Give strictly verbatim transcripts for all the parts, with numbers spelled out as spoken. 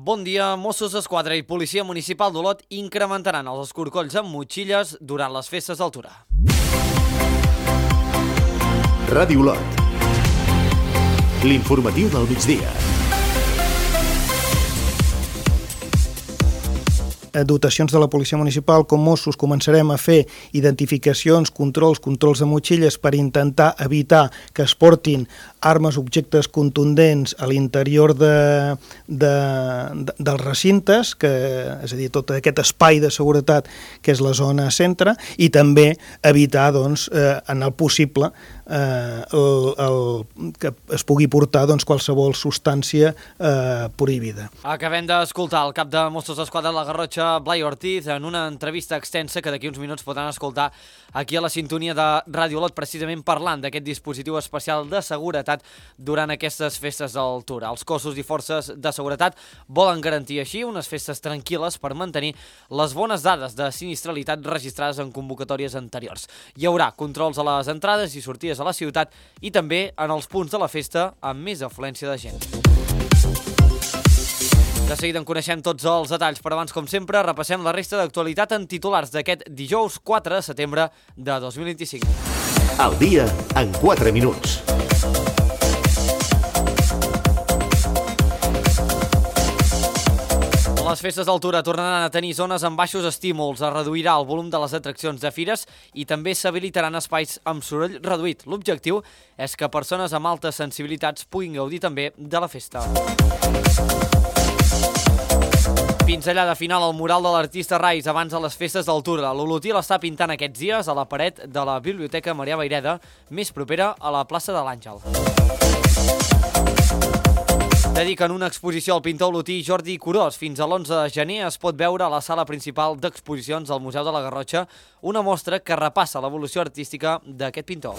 Bon dia. Mossos d'Esquadra i Policia Municipal d'Olot incrementaran els escorcolls amb motxilles durant les festes del Tura. Ràdio Olot. L'informatiu del migdia. Dotacions de la Policia Municipal com Mossos començarem a fer identificacions, controls, controls de motxilles per intentar evitar que es portin armes, objectes contundents a l'interior de, de, de, dels recintes, que, és a dir, tot aquest espai de seguretat que és la zona centre, i també evitar, doncs, eh, en el possible, eh, el, el, que es pugui portar doncs, qualsevol substància eh, prohibida. Acabem d'escoltar el cap de Mossos d'Esquadra de la Garrotxa, Blai Ortiz, en una entrevista extensa que d'aquí uns minuts podran escoltar aquí a la sintonia de Ràdio Olot, precisament parlant d'aquest dispositiu especial de seguretat durant aquestes festes del Tura. Els cossos i forces de seguretat volen garantir així unes festes tranquil·les per mantenir les bones dades de sinistralitat registrades en convocatòries anteriors. Hi haurà controls a les entrades i sortides a la ciutat i també en els punts de la festa amb més afluència de gent. De seguida en coneixem tots els detalls, però abans, com sempre, repassem la resta d'actualitat en titulars d'aquest dijous quatre de setembre de dos mil vint-i-cinc. El dia en quatre minuts. Les festes del Tura tornaran a tenir zones amb baixos estímuls, es reduirà el volum de les atraccions de fires i també s'habilitaran espais amb soroll reduït. L'objectiu és que persones amb altes sensibilitats puguin gaudir també de la festa. Pinzellada final al mural de l'artista Rais abans de les festes del Tura. L'Olotí l'està pintant aquests dies a la paret de la Biblioteca Marià Vayreda, més propera a la plaça de l'Àngel. Dediquen una exposició al pintor olotí Jordi Curós. Fins a l'onze de gener es pot veure a la sala principal d'exposicions del Museu de la Garrotxa una mostra que repassa l'evolució artística d'aquest pintor.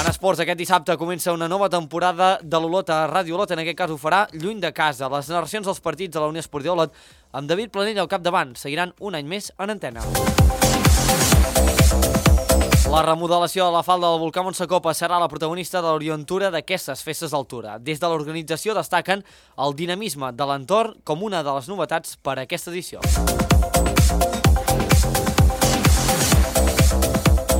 En esports, aquest dissabte comença una nova temporada de l'Olot a Ràdio Olot. En aquest cas ho farà lluny de casa. Les narracions dels partits de la Unió Esportiva Olot amb David Planell al capdavant seguiran un any més en antena. La remodelació de la falda del volcà Montsecopa serà la protagonista de l'orientura d'aquestes festes del Tura. Des de l'organització destaquen el dinamisme de l'entorn com una de les novetats per a aquesta edició.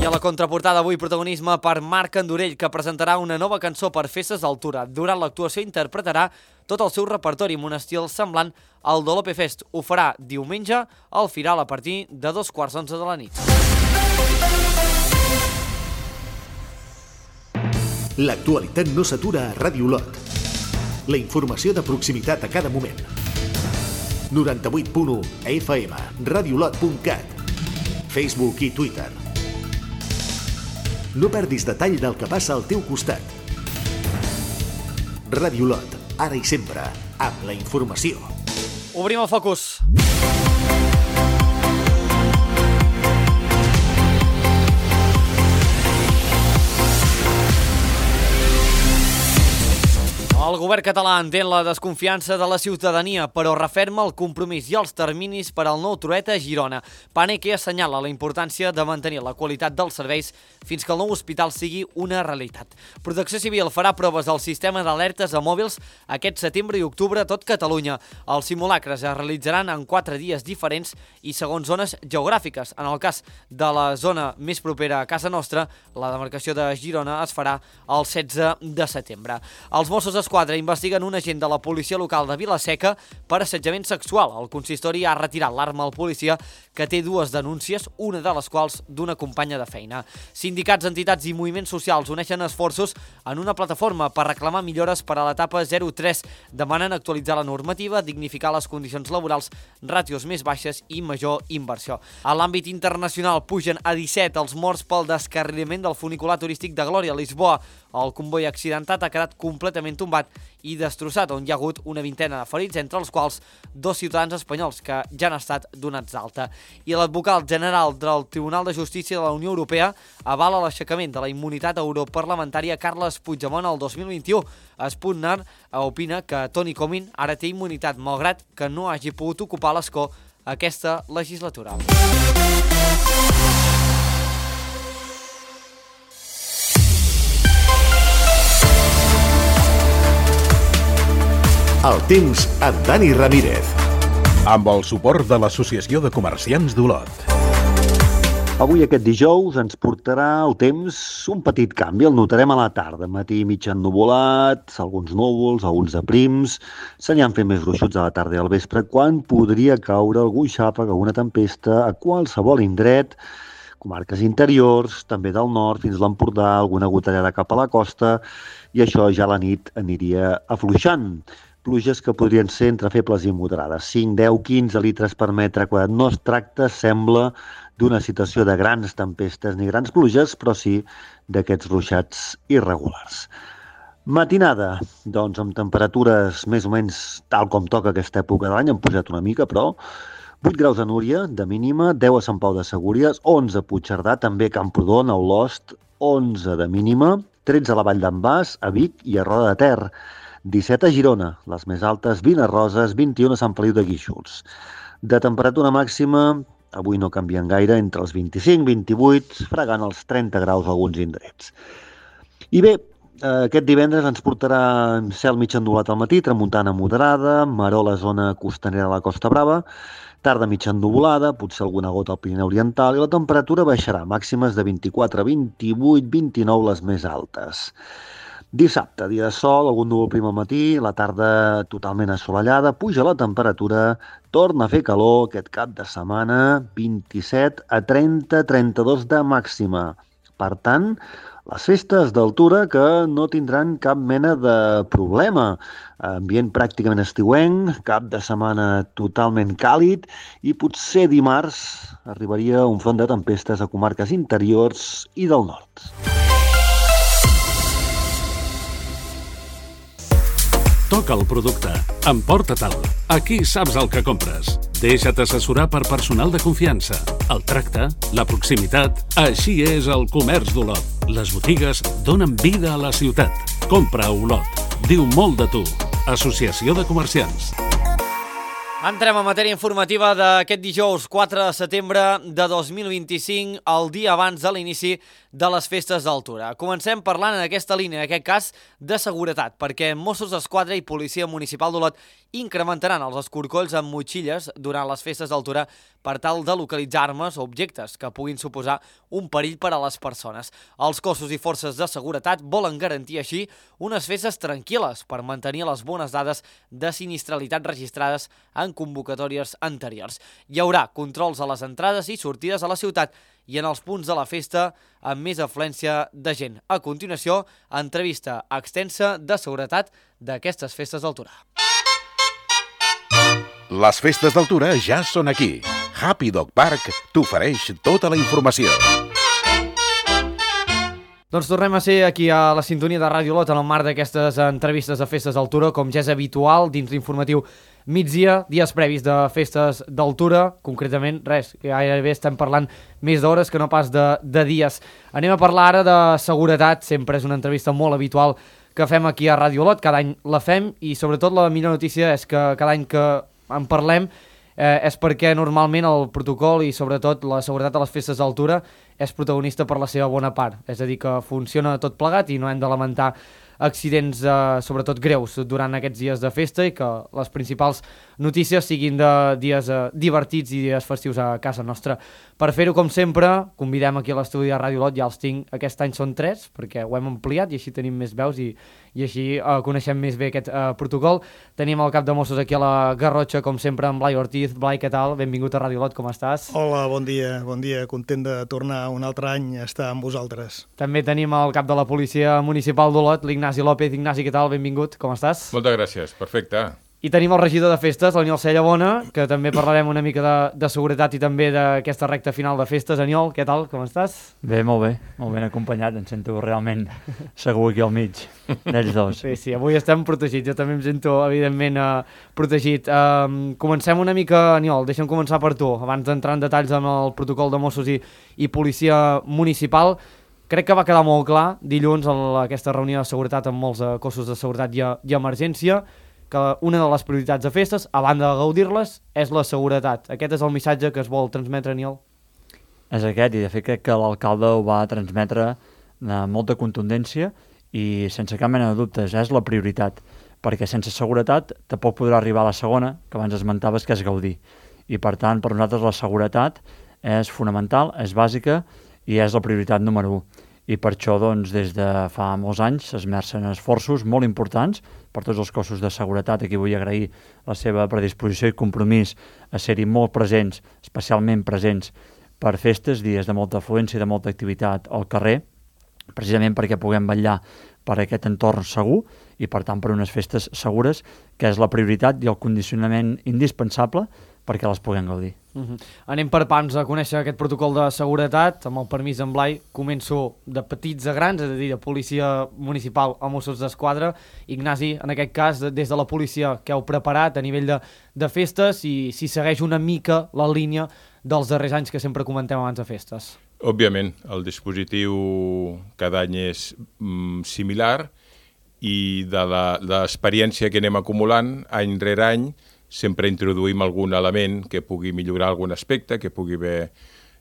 I a la contraportada avui protagonisme per Marc Andorell, que presentarà una nova cançó per festes del Tura. Durant l'actuació interpretarà tot el seu repertori amb un estil semblant al de l'O P Fest. Ho farà diumenge al Firal a partir de dos quarts d'onze de la nit. L'actualitat no s'atura a Ràdio Olot. La informació de proximitat a cada moment. noranta-vuit punt u F M, radiolot punt cat, Facebook i Twitter. No perdis detall del que passa al teu costat. Ràdio Olot, ara i sempre, amb la informació. Obrim el focus. El govern català entén la desconfiança de la ciutadania, però referma el compromís i els terminis per al nou Trueta a Girona. Paneque assenyala la importància de mantenir la qualitat dels serveis fins que el nou hospital sigui una realitat. Protecció Civil farà proves del sistema d'alertes a mòbils aquest setembre i octubre a tot Catalunya. Els simulacres es realitzaran en quatre dies diferents i segons zones geogràfiques. En el cas de la zona més propera a casa nostra, la demarcació de Girona es farà el setze de setembre. Els Mossos d'Esquadra investiguen un agent de la policia local de Vila-seca per assetjament sexual. El consistori ha retirat l'arma al policia, que té dues denúncies, una de les quals d'una companya de feina. Sindicats, entitats i moviments socials uneixen esforços en una plataforma per reclamar millores per a l'etapa zero tres. Demanen actualitzar la normativa, dignificar les condicions laborals, ràtios més baixes i major inversió. A l'àmbit internacional pugen a disset els morts pel descarrilament del funicular turístic de Glòria a Lisboa. El comboi accidentat ha quedat completament tombat i destrossat, on hi ha hagut una vintena de ferits, entre els quals dos ciutadans espanyols que ja han estat donats d'alta. I l'advocat general del Tribunal de Justícia de la Unió Europea avala l'aixecament de la immunitat europarlamentària Carles Puigdemont el dos mil vint-i-u. Sputner opina que Toni Comín ara té immunitat, malgrat que no hagi pogut ocupar l'escó aquesta legislatura. El temps amb Dani Ramírez. Amb el suport de l'Associació de Comerciants d'Olot. Avui, aquest dijous, ens portarà el temps un petit canvi. El notarem a la tarda. Matí mig ennuvolat, alguns núvols, alguns de prims. S'aniran fent més gruixuts a la tarda i al vespre, quan podria caure algun xàfec, alguna tempesta a qualsevol indret, comarques interiors, també del nord, fins a l'Empordà, alguna gotellada cap a la costa, i això ja a la nit aniria afluixant. Pluges que podrien ser entre febles i moderades, cinc, deu, quinze litres per metre quadrat. No es tracta, sembla, d'una situació de grans tempestes ni grans pluges, però sí d'aquests ruixats irregulars. Matinada, doncs amb temperatures més o menys tal com toca aquesta època de l'any, han pujat una mica, però vuit graus a Núria, de mínima, deu a Sant Pau de Segúries, onze a Puigcerdà, també a Camprodon, a Olost, onze de mínima, tretze a la Vall d'en Bas, a Vic i a Roda de Ter, disset a Girona, les més altes, vint a Roses, vint-i-un a Sant Feliu de Guíxols. De temperatura màxima, avui no canvien gaire, entre els vint-i-cinc i vint-i-vuit, fregant els trenta graus a alguns indrets. I bé, aquest divendres ens portarà cel mig ennuvolat al matí, tramuntana moderada, maror a la zona costanera de la Costa Brava, tarda mig ennuvolada, potser alguna gota al Pirineu Oriental, i la temperatura baixarà, màximes de vint-i-quatre, vint-i-vuit, vint-i-nou les més altes. Dissabte, dia de sol, algun núvol prim al matí, la tarda totalment assolellada, puja la temperatura, torna a fer calor aquest cap de setmana, vint-i-set a trenta, trenta-dos de màxima. Per tant, les festes d'altura que no tindran cap mena de problema. Ambient pràcticament estiuenc, cap de setmana totalment càlid, i potser dimarts arribaria un front de tempestes a comarques interiors i del nord. Toca el producte. Emporta-te'l. Aquí saps el que compres. Deixa't assessorar per personal de confiança. El tracte, la proximitat... Així és el comerç d'Olot. Les botigues donen vida a la ciutat. Compra a Olot. Diu molt de tu. Associació de Comerciants. Entrem a matèria informativa d'aquest dijous quatre de setembre de dos mil vint-i-cinc, el dia abans de l'inici de les festes d'altura. Comencem parlant en aquesta línia, en aquest cas, de seguretat, perquè Mossos d'Esquadra i Policia Municipal d'Olot incrementaran els escorcolls amb motxilles durant les festes d'altura per tal de localitzar armes o objectes que puguin suposar un perill per a les persones. Els cossos i forces de seguretat volen garantir així unes festes tranquil·les per mantenir les bones dades de sinistralitat registrades en convocatòries anteriors. Hi haurà controls a les entrades i sortides a la ciutat i en els punts de la festa amb més afluència de gent. A continuació, entrevista extensa de seguretat d'aquestes festes d'altura. Les festes d'altura ja són aquí. Happy Dog Park t'ofereix tota la informació. Doncs tornem a ser aquí a la sintonia de Ràdio Olot en el marc d'aquestes entrevistes de festes d'altura, com ja és habitual dins l'informatiu migdia, dies previs de festes d'altura, concretament, res, gairebé estem parlant més d'hores que no pas de, de dies. Anem a parlar ara de seguretat, sempre és una entrevista molt habitual que fem aquí a Ràdio Olot, cada any la fem, i sobretot la millor notícia és que cada any que en parlem eh, és perquè normalment el protocol i sobretot la seguretat de les festes d'altura és protagonista per la seva bona part, és a dir, que funciona tot plegat i no hem de lamentar accidents, eh, sobretot greus, durant aquests dies de festa, i que les principals notícies siguin de dies eh, divertits i dies festius a casa nostra. Per fer-ho, com sempre, convidem aquí a l'estudi de Ràdio Olot, ja els tinc, aquest any són tres, perquè ho hem ampliat i així tenim més veus i, i així eh, coneixem més bé aquest eh, protocol. Tenim el cap de Mossos aquí a la Garrotxa, com sempre, amb Blai Ortiz. Blai, què tal? Benvingut a Ràdio Olot, com estàs? Hola, bon dia, bon dia, content de tornar un altre any a estar amb vosaltres. També tenim el cap de la Policia Municipal d'Olot, l'Ignasi López. Ignasi, què tal? Benvingut, com estàs? Moltes gràcies, perfecte. I tenim el regidor de festes, l'Aniol Cellabona, que també parlarem una mica de, de seguretat i també d'aquesta recta final de festes. Aniol, què tal? Com estàs? Bé, molt bé, molt ben acompanyat, em sento realment segur aquí al mig, d'ells dos. Sí, sí, avui estem protegits, jo també em sento, evidentment, eh, protegit. Eh, comencem una mica, Aniol, deixa'm començar per tu, abans d'entrar en detalls amb el protocol de Mossos i, i Policia Municipal. Crec que va quedar molt clar dilluns en aquesta reunió de seguretat amb molts eh, cossos de seguretat i, i emergència, que una de les prioritats de festes, a banda de gaudir-les, és la seguretat. Aquest és el missatge que es vol transmetre, Aniol? És aquest, i de fet crec que l'alcalde ho va transmetre amb molta contundència i sense cap mena de dubtes, és la prioritat. perquè sense seguretat tampoc podrà arribar a la segona, que abans esmentaves, que és gaudir. I per tant, per nosaltres la seguretat és fonamental, és bàsica i és la prioritat número u. I per això, doncs, des de fa molts anys s'esmercen esforços molt importants per tots els cossos de seguretat. Aquí vull agrair la seva predisposició i compromís a ser-hi molt presents, especialment presents per festes, dies de molta afluència i de molta activitat al carrer, precisament perquè puguem vetllar per aquest entorn segur i, per tant, per unes festes segures, que és la prioritat i el condicionament indispensable perquè les puguem gaudir. Uh-huh. Anem per pams a conèixer aquest protocol de seguretat. Amb el permís d'en Blai, començo de petits a grans, és a dir, de policia municipal a Mossos d'Esquadra. Ignasi, en aquest cas, des de la policia, que heu preparat a nivell de, de festes i si segueix una mica la línia dels darrers anys que sempre comentem abans de festes? Òbviament, el dispositiu cada any és mm, similar i de l'experiència que anem acumulant any rere any sempre introduïm algun element que pugui millorar algun aspecte, que pugui haver,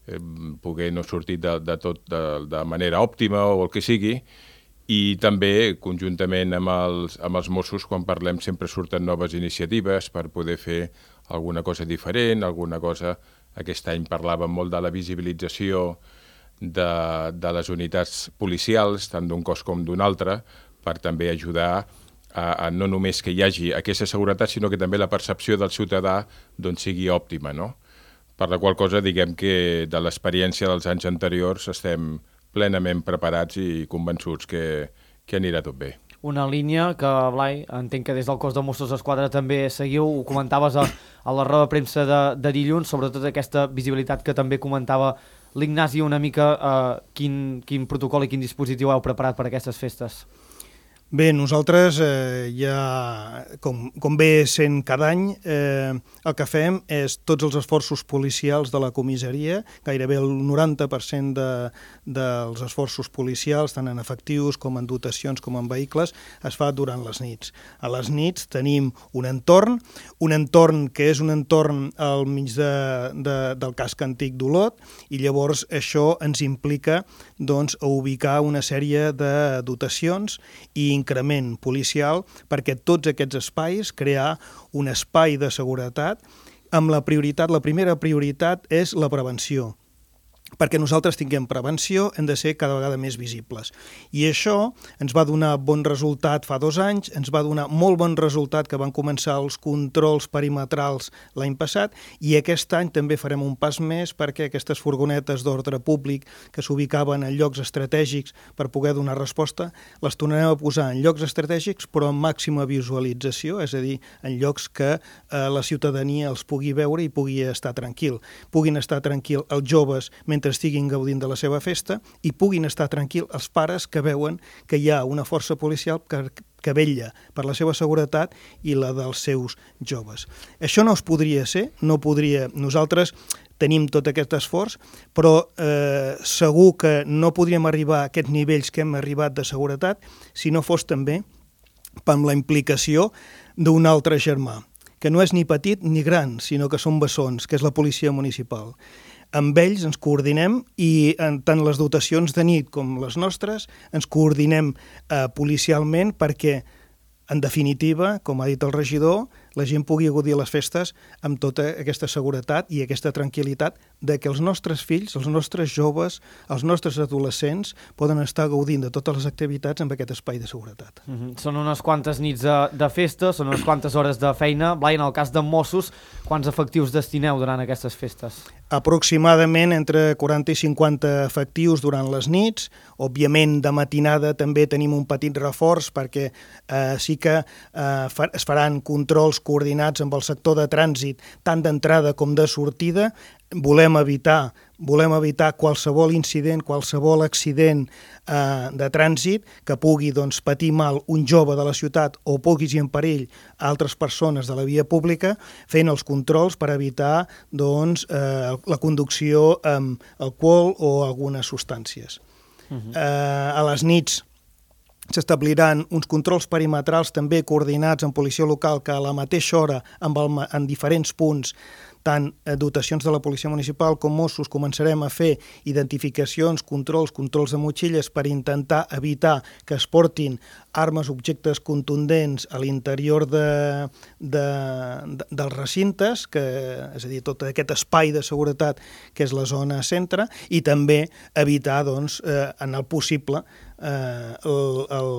eh, poder no sortir de, de tot de, de manera òptima o el que sigui, i també, conjuntament amb els, amb els Mossos, quan parlem sempre surten noves iniciatives per poder fer alguna cosa diferent, alguna cosa... Aquest any parlàvem molt de la visibilització de, de les unitats policials, tant d'un cos com d'un altre, per també ajudar a, a no només que hi hagi aquesta seguretat, sinó que també la percepció del ciutadà doncs, sigui òptima, no? Per la qual cosa diguem que de l'experiència dels anys anteriors estem plenament preparats i convençuts que, que anirà tot bé. Una línia que, Blai, entenc que des del cos de Mossos d'Esquadra també seguiu, ho comentaves a, a la roda de premsa de, de dilluns, sobretot aquesta visibilitat que també comentava l'Ignasi, una mica eh, quin, quin protocol i quin dispositiu heu preparat per a aquestes festes. Bé, nosaltres eh, ja, com, com bé sent cada any, eh, el que fem és tots els esforços policials de la comissaria, gairebé el noranta per cent de, dels esforços policials, tant en efectius com en dotacions com en vehicles, es fa durant les nits. A les nits tenim un entorn, un entorn que és un entorn al mig de, de, del casc antic d'Olot, i llavors això ens implica doncs, a ubicar una sèrie de dotacions i increment policial perquè tots aquests espais, crear un espai de seguretat amb la prioritat, la primera prioritat és la prevenció. Perquè nosaltres tinguem prevenció hem de ser cada vegada més visibles. I això ens va donar bon resultat fa dos anys, ens va donar molt bon resultat que van començar els controls perimetrals l'any passat, i aquest any també farem un pas més perquè aquestes furgonetes d'ordre públic que s'ubicaven en llocs estratègics per poder donar resposta, les tornarem a posar en llocs estratègics però amb màxima visualització, és a dir, en llocs que eh, la ciutadania els pugui veure i pugui estar tranquil. Puguin estar tranquil els joves mentre estiguin gaudint de la seva festa i puguin estar tranquils els pares que veuen que hi ha una força policial que, que vetlla per la seva seguretat i la dels seus joves. Això no es podria ser, no podria... Nosaltres tenim tot aquest esforç, però eh, segur que no podríem arribar a aquests nivells que hem arribat de seguretat si no fos també amb la implicació d'un altre germà, que no és ni petit ni gran, sinó que són bessons, que és la policia municipal. Amb ells ens coordinem i en tant les dotacions de nit com les nostres ens coordinem eh, policialment perquè, en definitiva, com ha dit el regidor, la gent pugui gaudir les festes amb tota aquesta seguretat i aquesta tranquil·litat de que els nostres fills, els nostres joves, els nostres adolescents poden estar gaudint de totes les activitats amb aquest espai de seguretat. Mm-hmm. Són unes quantes nits de, de festa, són unes quantes hores de feina. Blai, en el cas de Mossos, quants efectius destineu durant aquestes festes? Aproximadament entre quaranta i cinquanta efectius durant les nits. Òbviament, de matinada també tenim un petit reforç perquè eh, sí que eh, es faran controls coordinats amb el sector de trànsit, tant d'entrada com de sortida. Volem evitar, volem evitar qualsevol incident, qualsevol accident eh, de trànsit que pugui doncs, patir mal un jove de la ciutat o poguis en perill a altres persones de la via pública, fent els controls per evitar doncs, eh, la conducció amb alcohol o algunes substàncies. Uh-huh. eh, a les nits s'establiran uns controls perimetrals també coordinats amb policia local que a la mateixa hora amb el, en diferents punts tant dotacions de la policia municipal com Mossos començarem a fer identificacions, controls, controls de motxilles per intentar evitar que es portin armes, objectes contundents a l'interior de, de, de, dels recintes, que, és a dir, tot aquest espai de seguretat que és la zona centre, i també evitar, doncs, eh, en el possible, eh, el, el,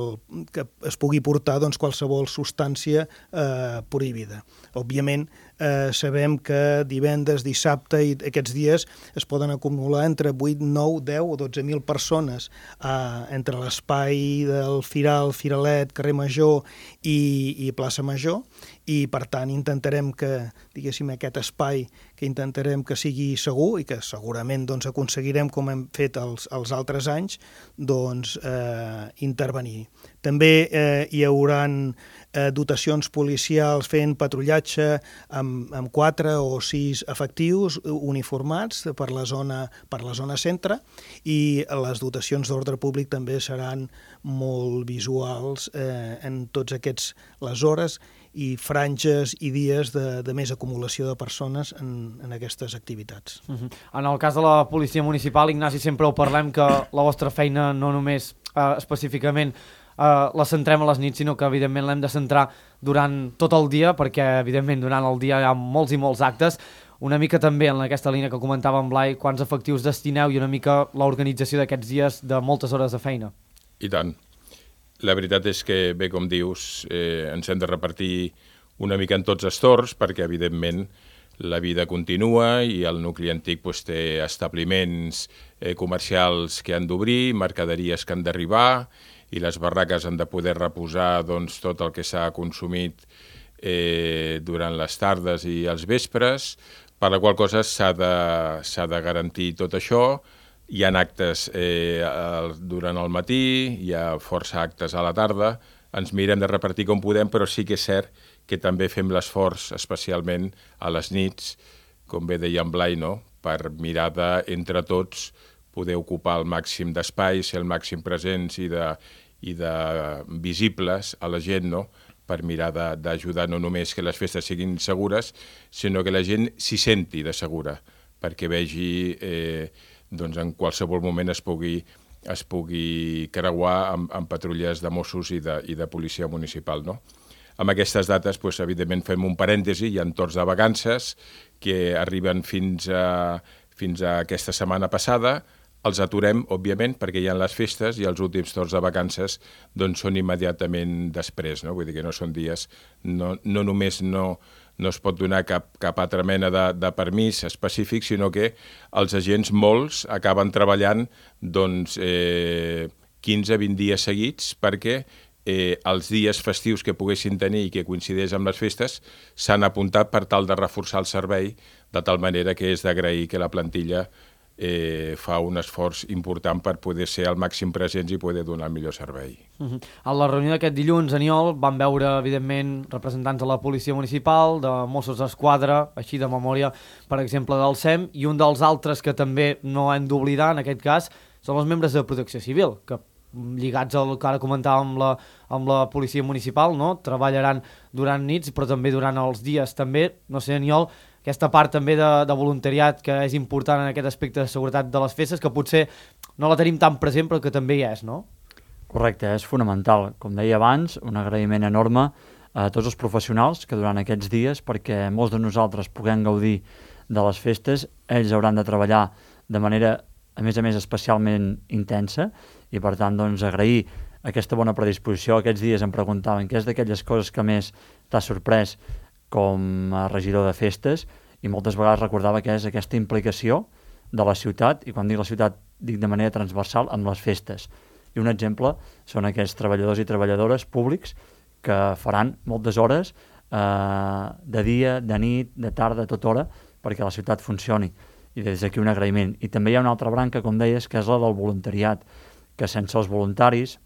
que es pugui portar doncs, qualsevol substància eh, prohibida. Òbviament, eh, sabem que divendres, dissabte i aquests dies es poden acumular entre vuit, nou, deu o dotze mil persones eh, entre l'espai del Firal, Firalet, carrer Major i, i plaça Major, i per tant intentarem que, diguéssim, aquest espai que intentarem que sigui segur i que segurament doncs, aconseguirem, com hem fet els, els altres anys, doncs eh, intervenir. També eh, hi haurà eh, dotacions policials fent patrullatge amb, amb quatre o sis efectius uniformats per la zona, per la zona centre, i les dotacions d'ordre públic també seran molt visuals eh, en tots aquests les hores i franges i dies de, de més acumulació de persones en, en aquestes activitats. Uh-huh. En el cas de la policia municipal, Ignasi, sempre ho parlem que la vostra feina no només eh, específicament eh, la centrem a les nits, sinó que evidentment l'hem de centrar durant tot el dia, perquè evidentment durant el dia hi ha molts i molts actes. Una mica també en aquesta línia que comentava en Blai, quants efectius destineu i una mica l'organització d'aquests dies de moltes hores de feina. I tant. La veritat és que, bé, com dius, eh, ens hem de repartir una mica en tots els torns, perquè, evidentment, la vida continua i el nucli antic pues, té establiments eh, comercials que han d'obrir, mercaderies que han d'arribar, i les barraques han de poder reposar doncs, tot el que s'ha consumit eh, durant les tardes i els vespres, per la qual cosa s'ha de, s'ha de garantir tot això. Hi ha actes eh, durant el matí, hi ha força actes a la tarda, ens mirem de repartir com podem, però sí que és cert que també fem l'esforç, especialment a les nits, com bé deia en Blai, no? Per mirar de, entre tots, poder ocupar el màxim d'espai, ser el màxim presents i de, i de visibles a la gent, no? Per mirar d'ajudar no només que les festes siguin segures, sinó que la gent s'hi senti de segura, perquè vegi... Eh, doncs en qualsevol moment es pugui, es pugui creuar amb, amb patrulles de Mossos i de, i de policia municipal, no? Amb aquestes dates, doncs, evidentment, fem un parèntesi, hi ha torns de vacances que arriben fins a, fins a aquesta setmana passada, els aturem, òbviament, perquè hi ha les festes i els últims torns de vacances doncs, són immediatament després, no? Vull dir que no són dies, no, no només no... no es pot donar cap, cap altra mena de, de permís específic, sinó que els agents, molts, acaben treballant doncs, eh, quinze a vint dies seguits perquè eh, els dies festius que poguessin tenir i que coincideix amb les festes s'han apuntat per tal de reforçar el servei, de tal manera que és d'agrair que la plantilla eh, fa un esforç important per poder ser al màxim presents i poder donar el millor servei. Uh-huh. A la reunió d'aquest dilluns, Aniol, van veure, evidentment, representants de la policia municipal, de Mossos d'Esquadra, així de memòria, per exemple, del S E M, i un dels altres que també no hem d'oblidar, en aquest cas, són els membres de Protecció Civil, que lligats al que ara comentàvem amb la, amb la policia municipal, no? Treballaran durant nits, però també durant els dies. També, no sé, Aniol, aquesta part també de, de voluntariat que és important en aquest aspecte de seguretat de les festes, que potser no la tenim tan present, però que també hi és, no? Correcte, és fonamental. Com deia abans, un agraïment enorme a tots els professionals que durant aquests dies, perquè molts de nosaltres puguem gaudir de les festes, ells hauran de treballar de manera, a més a més, especialment intensa, i per tant, doncs, agrair aquesta bona predisposició. Aquests dies em preguntaven què és d'aquelles coses que més t'ha sorprès com a regidor de festes, i moltes vegades recordava que és aquesta implicació de la ciutat, i quan dic la ciutat dic de manera transversal, amb les festes. I un exemple són aquests treballadors i treballadores públics que faran moltes hores eh, de dia, de nit, de tarda, a tota hora, perquè la ciutat funcioni. I des d'aquí un agraïment. I també hi ha una altra branca, com deies, que és la del voluntariat, que sense els voluntaris,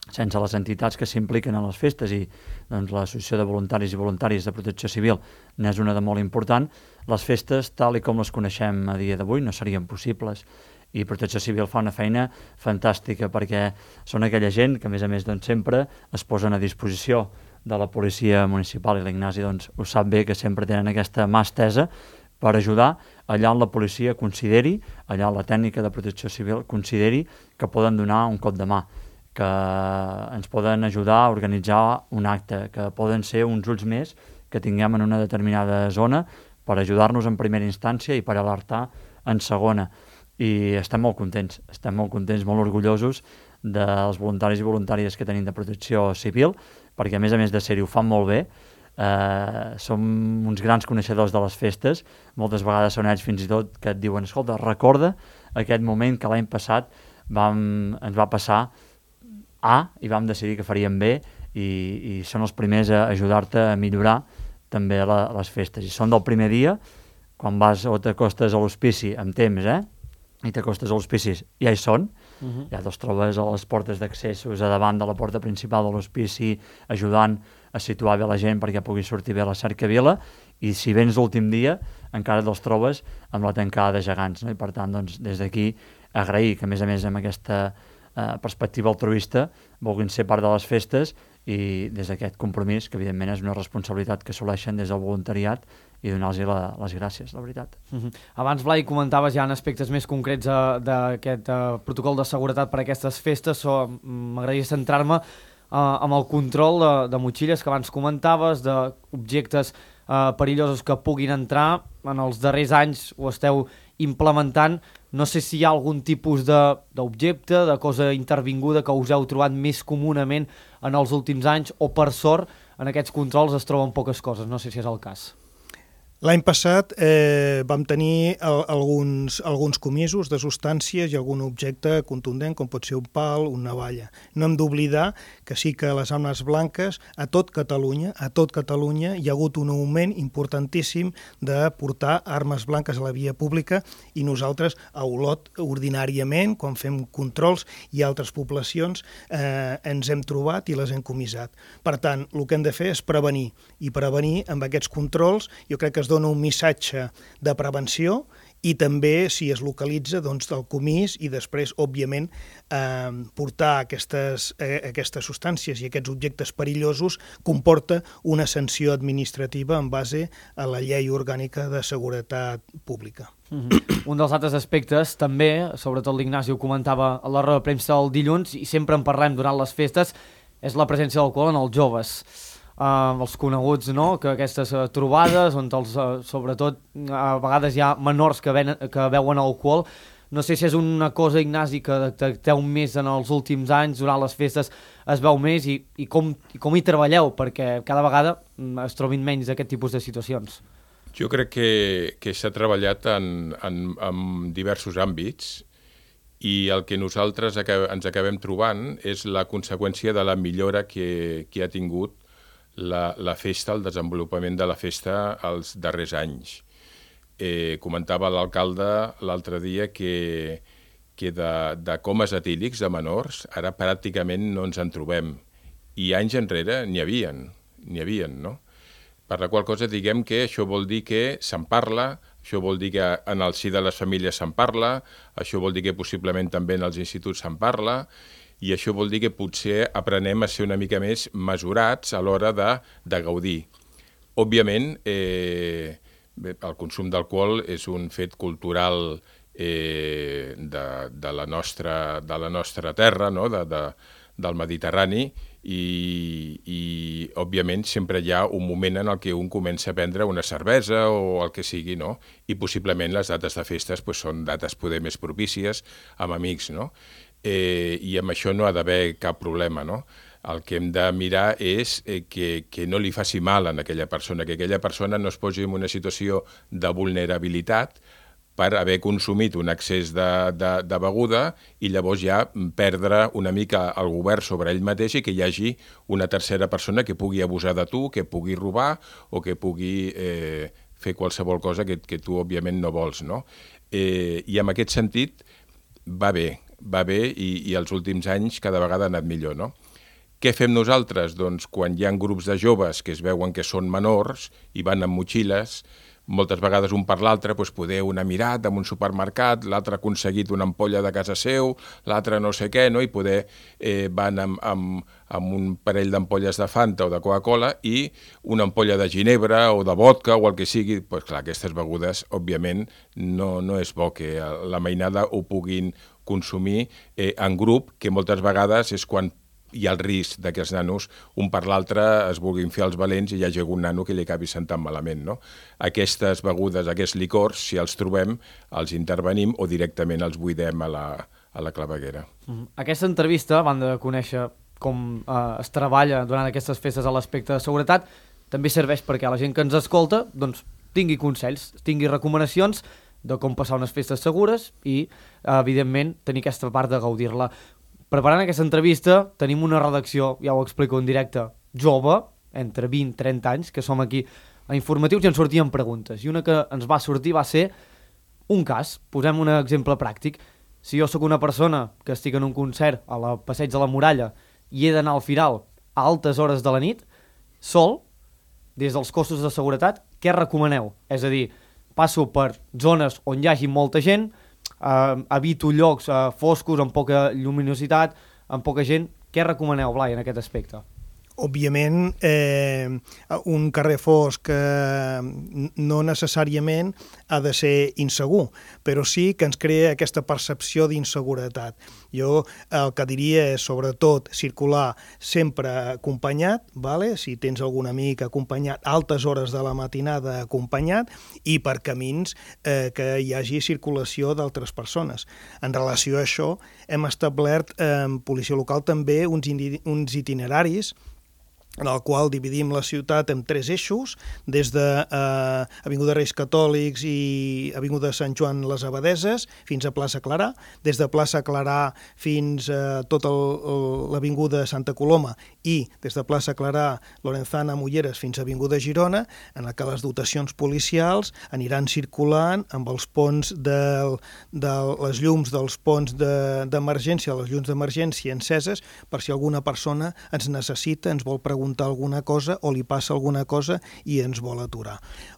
sense les entitats que s'impliquen en les festes, i doncs, l'Associació de Voluntaris i Voluntaris de Protecció Civil n'és una de molt important, les festes, tal i com les coneixem a dia d'avui, no serien possibles. i Protecció Civil fa una feina fantàstica perquè són aquella gent que, a més a més, doncs, sempre es posen a disposició de la policia municipal, i l'Ignasi doncs, ho sap bé, que sempre tenen aquesta mà estesa per ajudar allà on la policia consideri, allà on la tècnica de protecció civil consideri que poden donar un cop de mà, que ens poden ajudar a organitzar un acte, que poden ser uns ulls més que tinguem en una determinada zona per ajudar-nos en primera instància i per alertar en segona. I estem molt contents, estem molt contents, molt orgullosos dels voluntaris i voluntàries que tenim de protecció civil, perquè a més a més de ser-hi ho fan molt bé, eh, som uns grans coneixedors de les festes, moltes vegades són ells fins i tot que et diuen, escolta, recorda aquest moment que l'any passat vam, ens va passar A i vam decidir que faríem B, i, i són els primers a ajudar-te a millorar també la, les festes. I són del primer dia, quan vas o t'acostes a l'hospici amb temps, eh? i t'acostes a l'hospici, ja hi són, uh-huh. ja te'ls trobes a les portes d'accessos, a davant de la porta principal de l'hospici, ajudant a situar bé la gent perquè pugui sortir bé la cercavila, i si vens l'últim dia encara te'ls trobes amb la tancada de gegants, no? I per tant, doncs, des d'aquí agrair que a més a més amb aquesta eh, perspectiva altruista vulguin ser part de les festes, i des d'aquest compromís, que evidentment és una responsabilitat que assoleixen des del voluntariat, i donar-los les gràcies, la veritat. Uh-huh. Abans, Blai, comentaves ja en aspectes més concrets uh, d'aquest uh, protocol de seguretat per a aquestes festes, o m'agradaria centrar-me uh, amb el control de, de motxilles que abans comentaves, d'objectes uh, perillosos que puguin entrar. En els darrers anys ho esteu implementant. No sé si hi ha algun tipus d'objecte, de, de cosa intervinguda que us heu trobat més comunament en els últims anys, o per sort en aquests controls es troben poques coses, no sé si és el cas. L'any passat eh, vam tenir el, alguns, alguns comisos de substàncies i algun objecte contundent, com pot ser un pal, una navalla. No hem d'oblidar que sí que les armes blanques, a tot Catalunya, a tot Catalunya hi ha hagut un augment importantíssim de portar armes blanques a la via pública, i nosaltres a Olot, ordinàriament, quan fem controls i altres poblacions, eh, ens hem trobat i les hem comissat. Per tant, el que hem de fer és prevenir, i prevenir amb aquests controls, jo crec que es dona un missatge de prevenció, i també, si es localitza, doncs, del comís, i després, òbviament, eh, portar aquestes, eh, aquestes substàncies i aquests objectes perillosos comporta una sanció administrativa en base a la llei orgànica de seguretat pública. Uh-huh. Un dels altres aspectes, també, sobretot l'Ignasi ho comentava a la roda de premsa el dilluns, i sempre en parlem durant les festes, és la presència d'alcohol en els joves. Uh, els coneguts, no?, que aquestes uh, trobades, on els, uh, sobretot a vegades hi ha menors que, ven, que beuen alcohol. No sé si és una cosa, Ignasi, que detecteu més en els últims anys, durant les festes es veu més, i, i, com, i com hi treballeu perquè cada vegada es trobin menys d'aquest tipus de situacions. Jo crec que, que s'ha treballat en, en, en diversos àmbits, i el que nosaltres acab, ens acabem trobant és la conseqüència de la millora que, que ha tingut La, la festa, el desenvolupament de la festa els darrers anys. Eh, comentava l'alcalde l'altre dia que, que de, de comes etílics de menors ara pràcticament no ens en trobem. I anys enrere n'hi havien, n'hi havien, no? Per la qual cosa diguem que això vol dir que se'n parla, això vol dir que en el si de les famílies se'n parla, això vol dir que possiblement també en els instituts se'n parla, i això vol dir que potser aprenem a ser una mica més mesurats a l'hora de, de gaudir. Òbviament, eh, el consum d'alcohol és un fet cultural eh, de, de, la nostra, de la nostra terra, no?, de, de, del Mediterrani, i, i òbviament sempre hi ha un moment en el que un comença a prendre una cervesa o el que sigui, no? I possiblement les dates de festes pues, són dates poder més propícies amb amics, no? Eh, i amb això no ha d'haver cap problema, no? El que hem de mirar és eh, que, que no li faci mal a aquella persona, que aquella persona no es posi en una situació de vulnerabilitat per haver consumit un excés de, de, de beguda i llavors ja perdre una mica el govern sobre ell mateix i que hi hagi una tercera persona que pugui abusar de tu, que pugui robar o que pugui eh, fer qualsevol cosa que, que tu òbviament no vols, no? Eh, I en aquest sentit va bé, va bé i, i els últims anys cada vegada ha anat millor, no? Què fem nosaltres? Doncs quan hi ha grups de joves que es veuen que són menors i van amb motxilles, moltes vegades un per l'altre, doncs poder un ha mirat en un supermercat, l'altre ha aconseguit una ampolla de casa seu, l'altre no sé què, no? I poder eh, van amb, amb, amb un parell d'ampolles de Fanta o de Coca-Cola i una ampolla de ginebra o de vodka o el que sigui. Doncs clar, aquestes begudes, òbviament, no, no és bo que la mainada ho puguin consumir eh, en grup, que moltes vegades és quan hi ha el risc que els nanos, un per l'altre, es vulguin fer els valents i hi hagi algun nano que li acabi sentant malament, no? Aquestes begudes, aquests licors, si els trobem, els intervenim o directament els buidem a la, a la claveguera. Aquesta entrevista, a banda de conèixer com eh, es treballa durant aquestes festes a l'aspecte de seguretat, també serveix perquè la gent que ens escolta doncs, tingui consells, tingui recomanacions de com passar unes festes segures i, evidentment, tenir aquesta part de gaudir-la. Preparant aquesta entrevista tenim una redacció, ja ho explico en directe, jove, entre vint i trenta anys, que som aquí a Informatius i ens sortien preguntes. I una que ens va sortir va ser un cas. Posem un exemple pràctic. Si jo sóc una persona que estic en un concert a la Passeig de la Muralla i he d'anar al Firal a altes hores de la nit, sol, des dels cossos de seguretat, què recomaneu? És a dir, passo per zones on hi hagi molta gent, Uh, evito llocs uh, foscos, amb poca lluminositat, amb poca gent. Què recomaneu, Blai, en aquest aspecte? Òbviament, eh, un carrer fosc eh, no necessàriament ha de ser insegur, però sí que ens crea aquesta percepció d'inseguretat. Jo el que diria és, sobretot, circular sempre acompanyat, vale? Si tens algun amic acompanyat, altes hores de la matinada acompanyat, i per camins eh, que hi hagi circulació d'altres persones. En relació a això, hem establert en eh, policia local també uns, uns itineraris en el qual dividim la ciutat en tres eixos, des de eh, Avinguda Reis Catòlics i Avinguda Sant Joan les Abadeses fins a Plaça Clarà, des de Plaça Clarà fins a tota l'Avinguda Santa Coloma i des de Plaça Clarà, Lorenzana, Mulleres fins a Avinguda Girona, en la que les dotacions policials aniran circulant amb els ponts de, de les llums dels ponts d'emergència, de, les llums d'emergència enceses, per si alguna persona ens necessita, ens vol preguntar alguna cosa o li passa alguna cosa i ens vol aturar.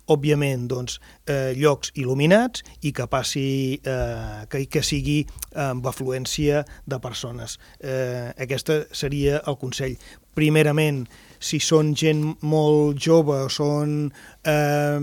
Òbviament, doncs, eh, llocs il·luminats i que passi, eh, que, que sigui amb afluència de persones. Eh, aquesta seria el consell. Primerament, si són gent molt jove o són eh,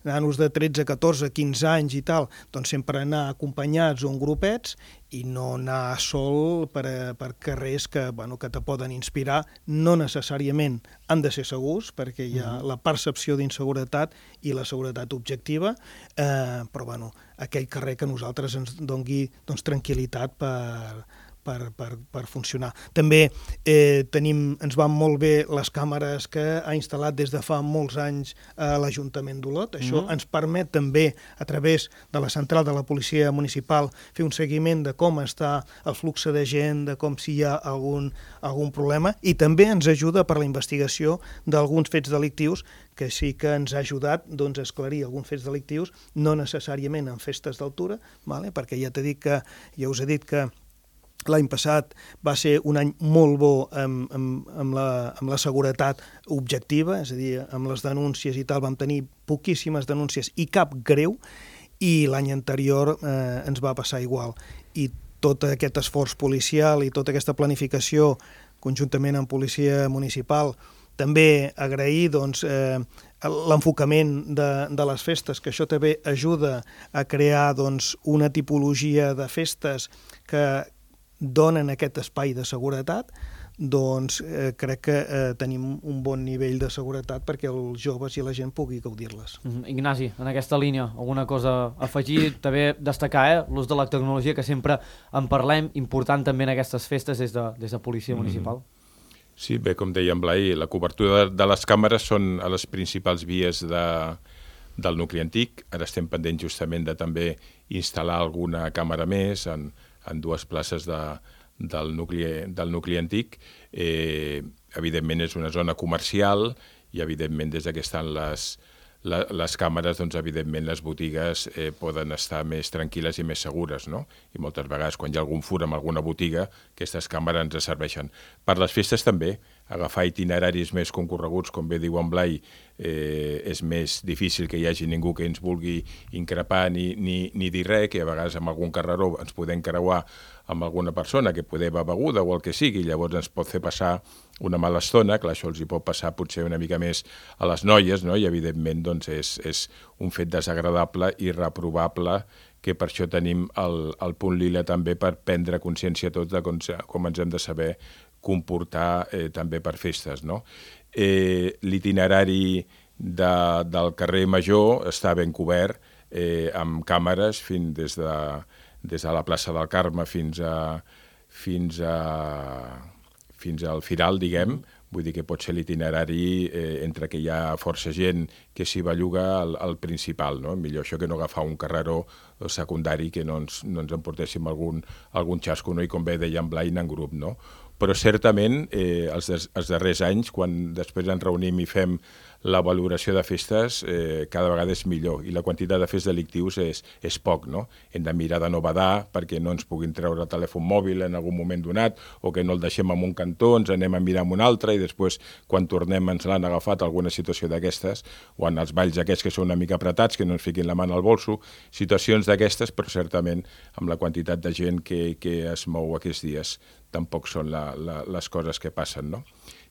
nanos de tretze, catorze, quinze anys i tal, doncs sempre anar acompanyats o en grupets i no anar sol per, per carrers que, bueno, que te poden inspirar. No necessàriament han de ser segurs, perquè hi ha la percepció d'inseguretat i la seguretat objectiva, eh, però bueno, aquell carrer que a nosaltres ens doni doncs, tranquil·litat per... Per, per, per funcionar. També eh, tenim, ens van molt bé les càmeres que ha instal·lat des de fa molts anys eh, l'Ajuntament d'Olot. Això mm-hmm. ens permet també, a través de la central de la policia municipal, fer un seguiment de com està el flux de gent, de com si hi ha algun, algun problema, i també ens ajuda per la investigació d'alguns fets delictius que sí que ens ha ajudat doncs, a esclarir alguns fets delictius, no necessàriament en festes d'altura, vale? Perquè ja t'he dit que, ja us he dit que l'any passat va ser un any molt bo amb, amb, amb, la, amb la seguretat objectiva, és a dir, amb les denúncies i tal, vam tenir poquíssimes denúncies i cap greu, i l'any anterior eh, ens va passar igual. I tot aquest esforç policial i tota aquesta planificació, conjuntament amb policia municipal, també agrair doncs, eh, l'enfocament de, de les festes, que això també ajuda a crear doncs, una tipologia de festes que donen aquest espai de seguretat, doncs eh, crec que eh, tenim un bon nivell de seguretat perquè els joves i la gent pugui gaudir-les. Mm-hmm. Ignasi, en aquesta línia, alguna cosa a afegir? També destacar eh, l'ús de la tecnologia, que sempre en parlem, important també en aquestes festes des de, des de Policia Municipal. Mm. Sí, bé, com deia en Blai, la cobertura de, de les càmeres són a les principals vies de, del nucli antic. Ara estem pendents justament de també instal·lar alguna càmera més en en dues places de, del, nucli, del nucli antic. Eh, evidentment és una zona comercial i evidentment des que estan les, la, les càmeres, doncs evidentment les botigues eh, poden estar més tranquil·les i més segures, no? I moltes vegades quan hi ha algun fur en alguna botiga, aquestes càmeres ens serveixen. Per les festes també, agafar itineraris més concorreguts, com bé diu en Blai, eh, és més difícil que hi hagi ningú que ens vulgui increpar ni, ni, ni dir res, que a vegades amb algun carreró ens podem creuar amb alguna persona que poder va beguda o el que sigui, llavors ens pot fer passar una mala estona, clar, això els hi pot passar potser una mica més a les noies, no? I evidentment doncs, és, és un fet desagradable i reprovable, que per això tenim el, el punt lila també per prendre consciència tots de com, com ens hem de saber comportar eh, també per festes, no? Eh, l'itinerari de, del carrer Major està ben cobert eh, amb càmeres fins des de, des de la plaça del Carme fins a fins a fins al Firal, diguem, vull dir que pot ser l'itinerari eh, entre que hi ha força gent que s'hi belluga al, al principal, no? Millor això que no agafar un carreró secundari que no ens, no ens emportéssim algun, algun xasco, no? I com bé deia en Blai, en grup, no? Però certament eh, els, des, els darrers anys, quan després ens reunim i fem la valoració de festes, eh, cada vegada és millor i la quantitat de fets delictius és, és poc, no? Hem de mirar de no badar perquè no ens puguin treure el telèfon mòbil en algun moment donat o que no el deixem en un cantó, ens anem a mirar en un altre i després quan tornem ens l'han agafat alguna situació d'aquestes o en els balls aquests que són una mica apretats, que no ens fiquin la mà al bolso, situacions d'aquestes, però certament amb la quantitat de gent que, que es mou aquests dies tampoc són la, la, les coses que passen, no?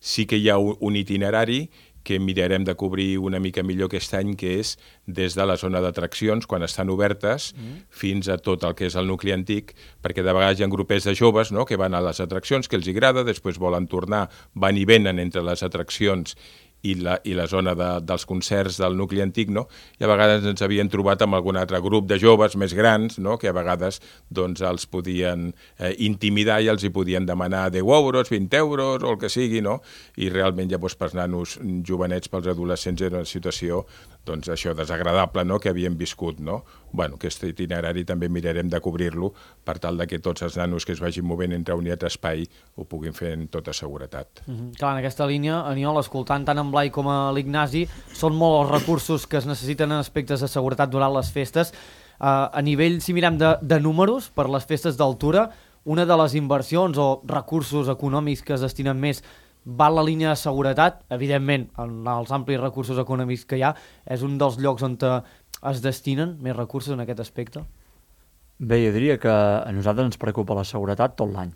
Sí que hi ha un, un itinerari que mirarem de cobrir una mica millor aquest any, que és des de la zona d'atraccions, quan estan obertes, mm. fins a tot el que és el nucli antic, perquè de vegades hi ha grupets de joves, no?, que van a les atraccions, que els agrada, després volen tornar, van i venen entre les atraccions i la, i la zona de, dels concerts del nucli antic, no? I a vegades ens havien trobat amb algun altre grup de joves més grans, no?, que a vegades doncs, els podien eh, intimidar i els hi podien demanar deu euros, vint euros o el que sigui, no? I realment ja doncs, pels nanos jovenets, pels adolescents, era una situació doncs, això desagradable, no?, que havien viscut, no? Bueno, aquest itinerari també mirarem de cobrir-lo per tal de que tots els nanos que es vagin movent entre un i altre espai ho puguin fer en tota seguretat. Mm-hmm. Clar, en aquesta línia, Aniol, escoltant tant en Blai com a l'Ignasi, són molts els recursos que es necessiten en aspectes de seguretat durant les festes. Uh, a nivell, si mirem de, de números, per les festes d'altura, una de les inversions o recursos econòmics que es destinen més va en la línia de seguretat. Evidentment, en els amplis recursos econòmics que hi ha, és un dels llocs on es destinen més recursos en aquest aspecte? Bé, jo diria que a nosaltres ens preocupa la seguretat tot l'any.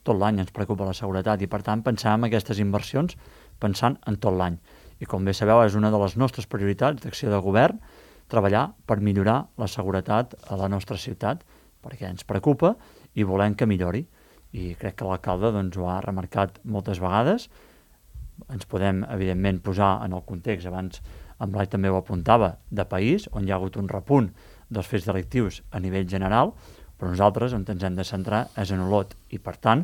Tot l'any ens preocupa la seguretat i, per tant, pensàvem en aquestes inversions pensant en tot l'any. I, com bé sabeu, és una de les nostres prioritats d'acció de govern treballar per millorar la seguretat a la nostra ciutat, perquè ens preocupa i volem que millori. I crec que l'alcalde doncs, ho ha remarcat moltes vegades. Ens podem, evidentment, posar en el context, abans en Blai també ho apuntava, de país, on hi ha hagut un repunt dels fets delictius a nivell general, però nosaltres on ens hem de centrar és en Olot. I, per tant,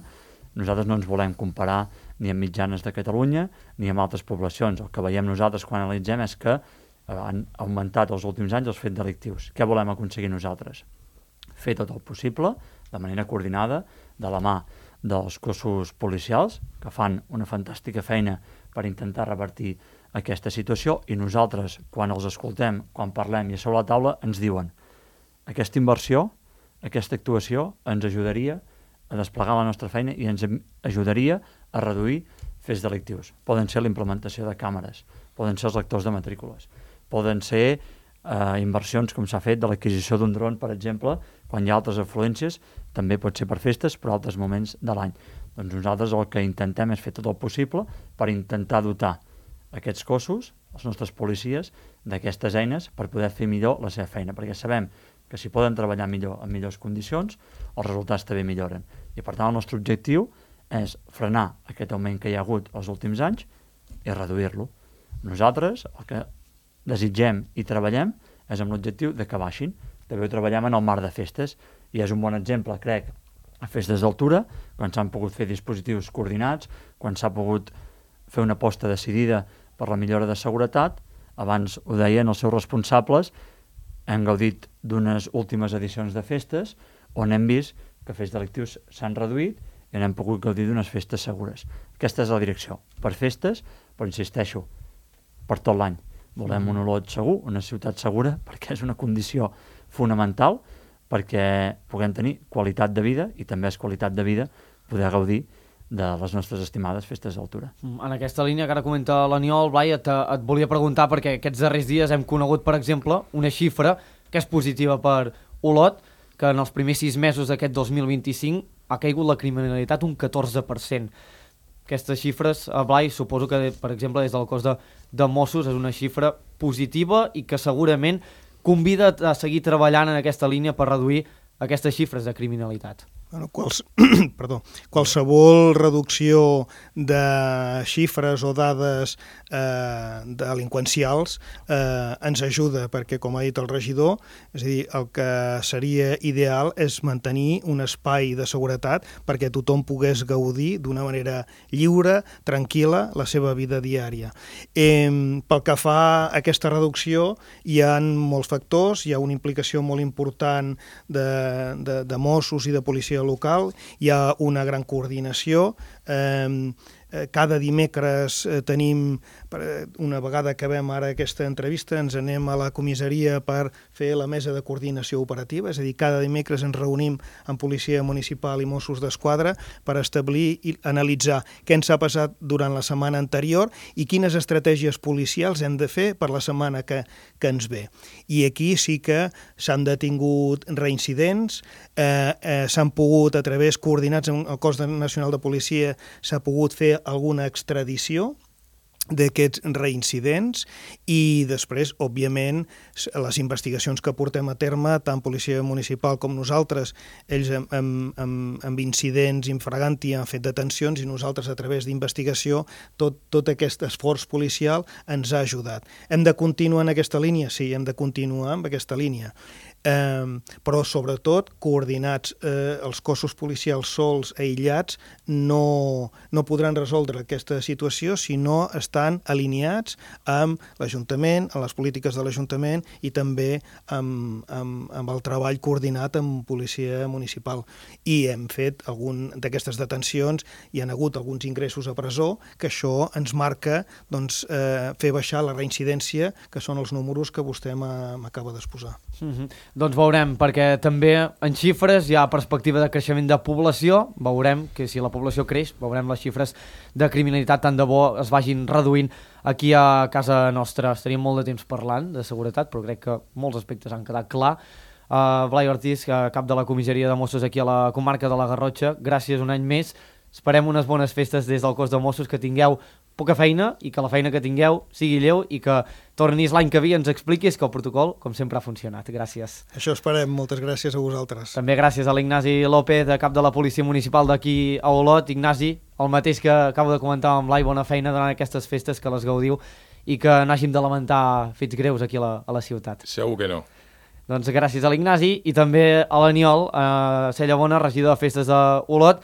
nosaltres no ens volem comparar ni amb mitjanes de Catalunya ni amb altres poblacions. El que veiem nosaltres quan analitzem és que han augmentat els últims anys els fets delictius. Què volem aconseguir nosaltres? Fer tot el possible, de manera coordinada, de la mà dels cossos policials, que fan una fantàstica feina per intentar revertir aquesta situació, i nosaltres, quan els escoltem, quan parlem i a sobre la taula, ens diuen aquesta inversió, aquesta actuació ens ajudaria a desplegar la nostra feina i ens ajudaria a reduir fets delictius. Poden ser la implementació de càmeres, poden ser els lectors de matrícules, poden ser eh, inversions com s'ha fet de l'adquisició d'un dron, per exemple, quan hi ha altres afluències, també pot ser per festes, però altres moments de l'any. Doncs nosaltres el que intentem és fer tot el possible per intentar dotar aquests cossos, els nostres policies, d'aquestes eines per poder fer millor la seva feina, perquè sabem que si poden treballar millor en millors condicions, els resultats també milloren. I per tant el nostre objectiu és frenar aquest augment que hi ha hagut els últims anys i reduir-lo. Nosaltres el que desitgem i treballem és amb l'objectiu de que baixin. També ho treballem en el marc de festes i és un bon exemple, crec, a festes d'altura, quan s'han pogut fer dispositius coordinats, quan s'ha pogut fer una aposta decidida per la millora de seguretat. Abans ho deien els seus responsables, hem gaudit d'unes últimes edicions de festes on hem vist que fets delictius s'han reduït i n'hem pogut gaudir d'unes festes segures. Aquesta és la direcció, per festes, però insisteixo, per tot l'any. Volem un Olot segur, una ciutat segura, perquè és una condició fonamental perquè puguem tenir qualitat de vida, i també és qualitat de vida poder gaudir de les nostres estimades festes d'altura. En aquesta línia que ara comenta l'Aniol, Blai, et, et volia preguntar perquè aquests darrers dies hem conegut, per exemple, una xifra que és positiva per Olot, que en els primers sis mesos d'aquest dos mil vint-i-cinc ha caigut la criminalitat un catorze per cent. Aquestes xifres, Blai, suposo que, per exemple, des del cos de, de Mossos és una xifra positiva i que segurament convida a seguir treballant en aquesta línia per reduir aquestes xifres de criminalitat. Bueno, quals, perdó, qualsevol reducció de xifres o dades eh, delinqüencials eh, ens ajuda, perquè, com ha dit el regidor, és a dir, el que seria ideal és mantenir un espai de seguretat perquè tothom pogués gaudir d'una manera lliure, tranquil·la, la seva vida diària. Eh, pel que fa a aquesta reducció, hi ha molts factors, hi ha una implicació molt important de, de, de Mossos i de policia local, hi ha una gran coordinació, eh, cada dimecres eh, tenim, una vegada acabem ara aquesta entrevista, ens anem a la comissaria per fer la mesa de coordinació operativa, és a dir, cada dimecres ens reunim amb Policia Municipal i Mossos d'Esquadra per establir i analitzar què ens ha passat durant la setmana anterior i quines estratègies policials hem de fer per la setmana que, que ens ve. I aquí sí que s'han detingut reincidents, eh, eh, s'han pogut, a través coordinats amb el Cos Nacional de Policia, s'ha pogut fer alguna extradició d'aquests reincidents i després, òbviament, les investigacions que portem a terme, tant Policia Municipal com nosaltres, ells amb, amb, amb incidents infraganti han fet detencions i nosaltres a través d'investigació, tot, tot aquest esforç policial ens ha ajudat. Hem de continuar en aquesta línia? Sí, hem de continuar amb aquesta línia. Eh, però sobretot coordinats, eh, els cossos policials sols, aïllats, no, no podran resoldre aquesta situació si no estan alineats amb l'Ajuntament, amb les polítiques de l'Ajuntament i també amb, amb, amb el treball coordinat amb policia municipal. I hem fet algun d'aquestes detencions, hi ha hagut alguns ingressos a presó, que això ens marca doncs, eh, fer baixar la reincidència, que són els números que vostè m'acaba d'exposar. Mm-hmm. Doncs veurem, perquè també en xifres hi ha perspectiva de creixement de població, veurem que si la població creix, veurem les xifres de criminalitat tant de bo es vagin reduint aquí a casa nostra. Estaríem molt de temps parlant de seguretat, però crec que molts aspectes han quedat clar. Uh, Blai Ortiz, cap de la comissaria de Mossos aquí a la comarca de la Garrotxa, gràcies un any més. Esperem unes bones festes des del cos de Mossos, que tingueu poca feina i que la feina que tingueu sigui lleu i que tornis l'any que ve i ens expliquis que el protocol, com sempre, ha funcionat. Gràcies. Això esperem. Moltes gràcies a vosaltres. També gràcies a l'Ignasi López, de cap de la Policia Municipal d'aquí a Olot. Ignasi, el mateix que acabo de comentar amb Blai, bona feina durant aquestes festes, que les gaudiu i que no hàgim de lamentar fets greus aquí a la, a la ciutat. Segur que no. Doncs gràcies a l'Ignasi i també a l'Aniol, a Cellabona, regidor de festes d'Olot.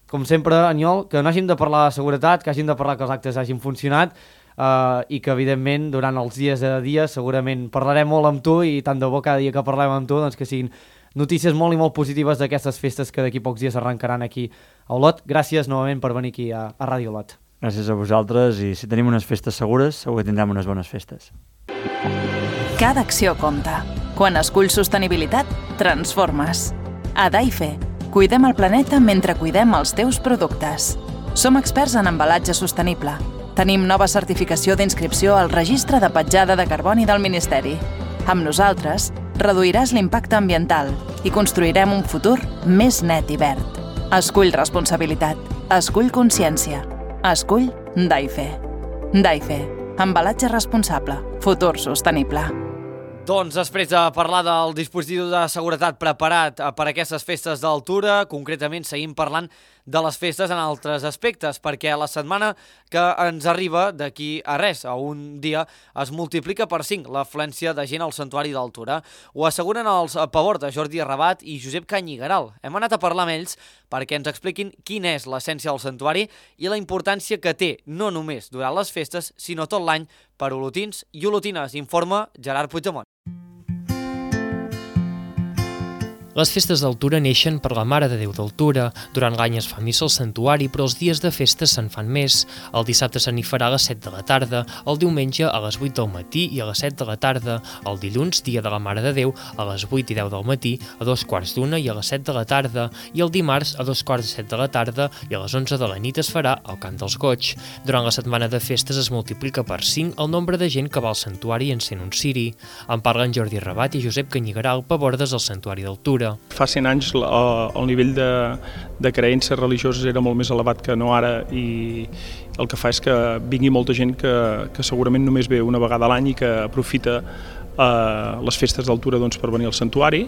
Com sempre, Aniol, que no hàgim de parlar de seguretat, que hàgim de parlar que els actes hagin funcionat eh, i que, evidentment, durant els dies a dia segurament parlarem molt amb tu i tant de bo cada dia que parlem amb tu doncs que siguin notícies molt i molt positives d'aquestes festes que d'aquí pocs dies arrencaran aquí a Olot. Gràcies novament per venir aquí a, a Ràdio Olot. Gràcies a vosaltres i si tenim unes festes segures segur que tindrem unes bones festes. Cada acció compta. Quan esculls sostenibilitat, transformes. A Daife, cuidem el planeta mentre cuidem els teus productes. Som experts en embalatge sostenible. Tenim nova certificació d'inscripció al Registre de Petjada de Carboni del Ministeri. Amb nosaltres, reduiràs l'impacte ambiental i construirem un futur més net i verd. Escull responsabilitat. Escull consciència. Escull Daife. Daife. Embalatge responsable. Futur sostenible. Doncs després de parlar del dispositiu de seguretat preparat per a aquestes festes d'altura, concretament seguim parlant de les festes en altres aspectes, perquè la setmana que ens arriba d'aquí a res, a un dia, es multiplica per cinc l'afluència de gent al Santuari d'Altura. Ho asseguren els Pavor de Jordi Rabat i Josep Canyigaral. Hem anat a parlar amb ells perquè ens expliquin quina és l'essència del santuari i la importància que té, no només durant les festes, sinó tot l'any per olotins i olotines, informa Gerard Puigdemont. Les festes d'Altura neixen per la Mare de Déu d'Altura. Durant l'any es fa missa al santuari, però els dies de festa se'n fan més. El dissabte se n'hi farà a les set de la tarda, el diumenge a les vuit del matí i a les set de la tarda, el dilluns, dia de la Mare de Déu, a les vuit i deu del matí, a dos quarts d'una i a les set de la tarda, i el dimarts a dos quarts de set de la tarda i a les onze de la nit es farà el Cant dels Goigs. Durant la setmana de festes es multiplica per cinc el nombre de gent que va al santuari encén un ciri. En parlen Jordi Rabat i Josep Canyigaral, pabordes al santuari d'Altura. Fa cent anys el nivell de, de creences religioses era molt més elevat que no ara i el que fa és que vingui molta gent que, que segurament només ve una vegada a l'any i que aprofita eh, les festes d'Altura doncs, per venir al santuari,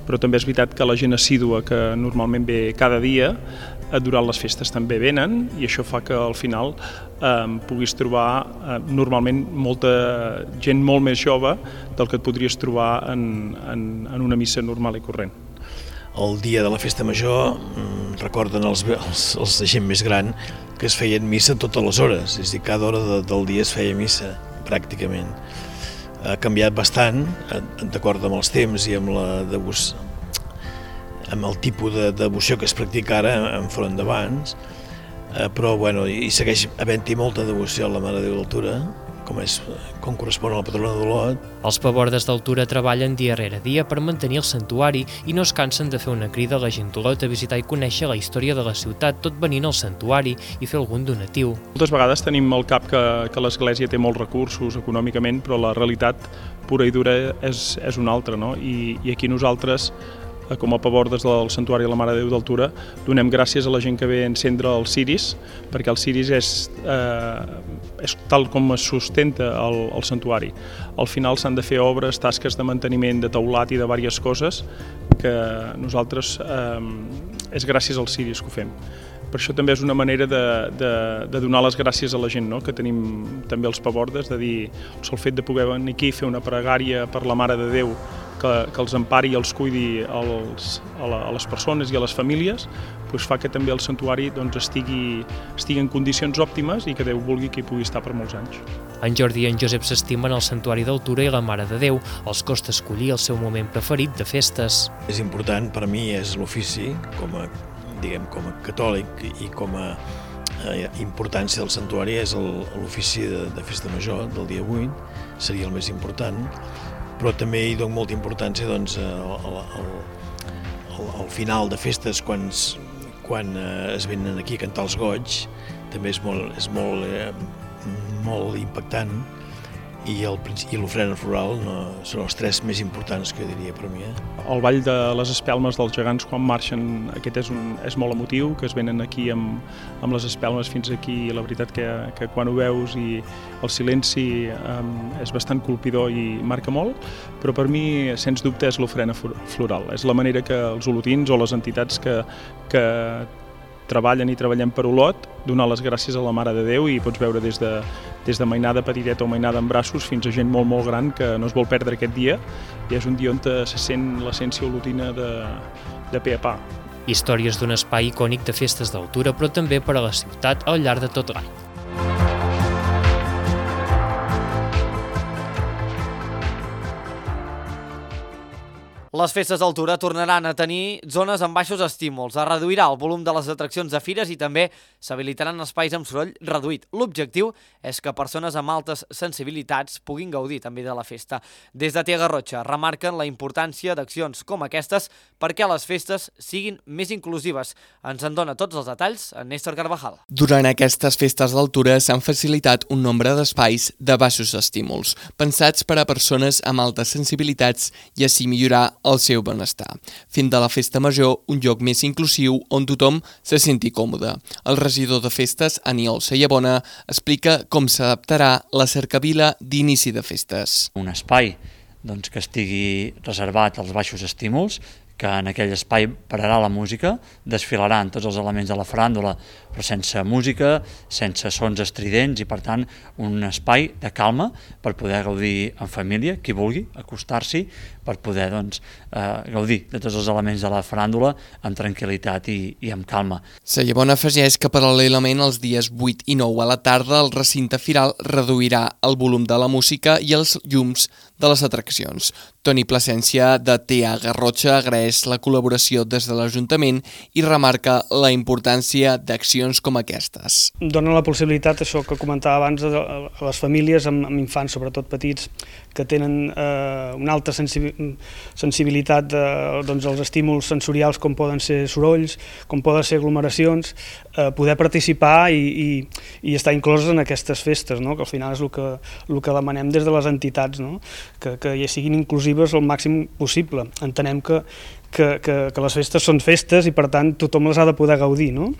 però també és veritat que la gent assídua que normalment ve cada dia durant les festes també venen i això fa que al final eh, puguis trobar eh, normalment molta gent molt més jove del que et podries trobar en, en, en una missa normal i corrent. El dia de la festa major recorden els, els, els de gent més gran que es feien missa totes les hores, és a dir, cada hora de, del dia es feia missa, pràcticament. Ha canviat bastant, d'acord amb els temps i amb la devoció, amb el tipus de devoció que es practica ara enfront d'abans, eh, però bueno, hi segueix havent-hi molta devoció a la Mare de Déu d'Altura, com, és, com correspon a la patrona d'Olot. Els pabordes d'Altura treballen dia rere dia per mantenir el santuari i no es cansen de fer una crida a la gent d'Olot a visitar i conèixer la història de la ciutat, tot venint al santuari i fer algun donatiu. Moltes vegades tenim al cap que, que l'Església té molts recursos econòmicament, però la realitat pura i dura és, és una altra, no? I, i aquí nosaltres, com a pabordes del Santuari de la Mare de Déu d'Altura, donem gràcies a la gent que ve a encendre els ciris, perquè el ciris és, eh, és tal com es sustenta el, el santuari. Al final s'han de fer obres, tasques de manteniment, de teulat i de diverses coses que nosaltres eh, és gràcies als ciris que ho fem. Per això també és una manera de, de, de donar les gràcies a la gent, no? Que tenim també els pabordes, de dir el sol fet de poder venir aquí i fer una pregària per la Mare de Déu que, que els empari i els cuidi als, a, la, a les persones i a les famílies, doncs fa que també el santuari doncs, estigui, estigui en condicions òptimes i que Déu vulgui que hi pugui estar per molts anys. En Jordi i en Josep s'estimen el Santuari d'Altura i la Mare de Déu. Els costa escollir el seu moment preferit de festes. És important, per mi és l'ofici, com a diguem, com a catòlic i com a eh, importància del santuari és l'ofici de, de festa major del dia vuit, seria el més important, però també hi dono molta importància doncs, al, al, al, al final de festes, quan, quan eh, es venen aquí a cantar els goigs, també és molt, és molt, eh, molt impactant, i l'ofrena floral no, són els tres més importants que jo diria per mi. Eh? El ball de les espelmes dels gegants quan marxen, aquest és, un, és molt emotiu, que es venen aquí amb, amb les espelmes fins aquí, i la veritat que, que quan ho veus i el silenci um, és bastant colpidor i marca molt, però per mi, sens dubte, és l'ofrena floral. És la manera que els olotins o les entitats que, que treballen i treballem per Olot, donar les gràcies a la Mare de Déu, i pots veure des de, des de mainada petiteta o mainada en braços fins a gent molt, molt gran que no es vol perdre aquest dia, i és un dia on se sent l'essència olotina de, de pe a pa. Històries d'un espai icònic de festes d'Altura, però també per a la ciutat al llarg de tot l'any. Les festes d'Altura tornaran a tenir zones amb baixos estímuls, es reduirà el volum de les atraccions de fires i també s'habilitaran espais amb soroll reduït. L'objectiu és que persones amb altes sensibilitats puguin gaudir també de la festa. Des de Tia Garrotxa remarquen la importància d'accions com aquestes perquè les festes siguin més inclusives. Ens en dona tots els detalls en Néstor Carvajal. Durant aquestes festes d'Altura s'han facilitat un nombre d'espais de baixos estímuls, pensats per a persones amb altes sensibilitats i així millorar el seu benestar, fent de la festa major un lloc més inclusiu on tothom se senti còmode. El regidor de festes, Aniol Sayabona, explica com s'adaptarà la cercavila d'inici de festes. Un espai doncs, que estigui reservat als baixos estímuls, que en aquell espai pararà la música, desfilaran tots els elements de la faràndula, però sense música, sense sons estridents, i per tant un espai de calma per poder gaudir en família, qui vulgui acostar-s'hi, per poder doncs, eh, gaudir de tots els elements de la faràndula amb tranquil·litat i, i amb calma. Sayabona afegeix que paral·lelament els dies vuit i nou a la tarda el recinte firal reduirà el volum de la música i els llums de les atraccions. Toni Plasència, de T A Garrotxa, agraeix la col·laboració des de l'Ajuntament i remarca la importància d'accions com aquestes. Dona la possibilitat, això que comentava abans, a les famílies amb, amb infants, sobretot petits, que tenen eh, una alta sensibilitat de, doncs, als estímuls sensorials com poden ser sorolls, com poden ser aglomeracions, eh, poder participar i, i, i estar incloses en aquestes festes, no? Que al final és el que, el que demanem des de les entitats, no? que, que ja siguin inclusives al màxim possible. Entenem que, que, que, que les festes són festes i per tant tothom les ha de poder gaudir, no?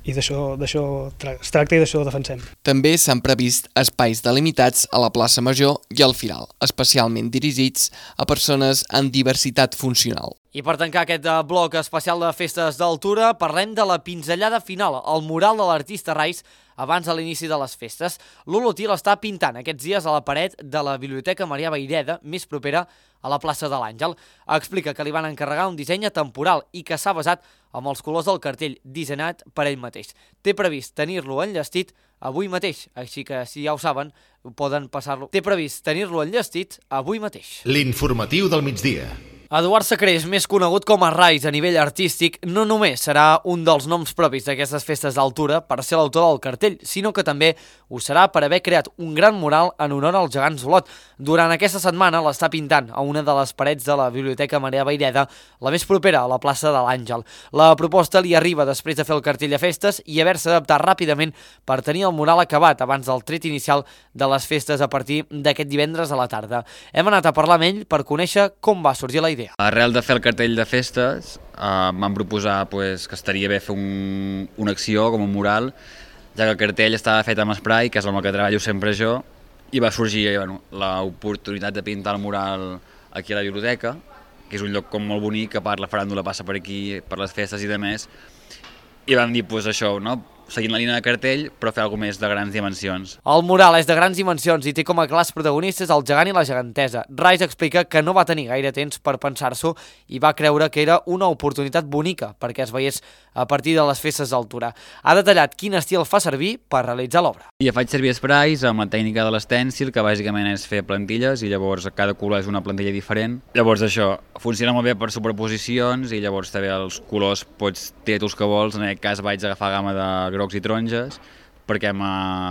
I d'això es tracta i d'això defensem. També s'han previst espais delimitats a la plaça Major i al Firal, especialment dirigits a persones amb diversitat funcional. I per tancar aquest bloc especial de festes d'altura, parlem de la pinzellada final, el mural de l'artista Rais, abans de l'inici de les festes. L'Olotí l'està pintant aquests dies a la paret de la Biblioteca Marià Vayreda, més propera a la plaça de l'Àngel. Explica que li van encarregar un disseny temporal i que s'ha basat amb els colors del cartell dissenyat per ell mateix. Té previst tenir-lo enllestit avui mateix, així que si ja ho saben, poden passar-lo. Té previst tenir-lo enllestit avui mateix. L'informatiu del migdia. Eduard Sacrés, més conegut com a Rais a nivell artístic, no només serà un dels noms propis d'aquestes festes d'altura per ser l'autor del cartell, sinó que també ho serà per haver creat un gran mural en honor als gegants d'Olot. Durant aquesta setmana l'està pintant a una de les parets de la Biblioteca Marià Vayreda, la més propera a la plaça de l'Àngel. La proposta li arriba després de fer el cartell de festes i haver-se adaptat ràpidament per tenir el mural acabat abans del tret inicial de les festes a partir d'aquest divendres a la tarda. Hem anat a parlar amb ell per conèixer com va sorgir la idea. Arrel de fer el cartell de festes, eh, vam proposar pues, que estaria bé fer un, una acció com un mural, ja que el cartell estava fet amb spray, que és amb el que treballo sempre jo, i va sorgir bueno, l'oportunitat de pintar el mural aquí a la biblioteca, que és un lloc com molt bonic, que part la faràndula passa per aquí, per les festes i de més, i vam dir pues, això, no? Seguint la línia de cartell, però fer alguna més de grans dimensions. El mural és de grans dimensions i té com a clars protagonistes el gegant i la gegantesa. Rais explica que no va tenir gaire temps per pensar-s'ho i va creure que era una oportunitat bonica perquè es veiés a partir de les festes d'altura. Ha detallat quin estil fa servir per realitzar l'obra. I faig servir sprays amb la tècnica de l'estèncil, que bàsicament és fer plantilles i llavors cada color és una plantilla diferent. Llavors això funciona molt bé per superposicions i llavors també els colors pots triar tu els que vols. En aquest cas vaig agafar gamma de grocs i taronges, perquè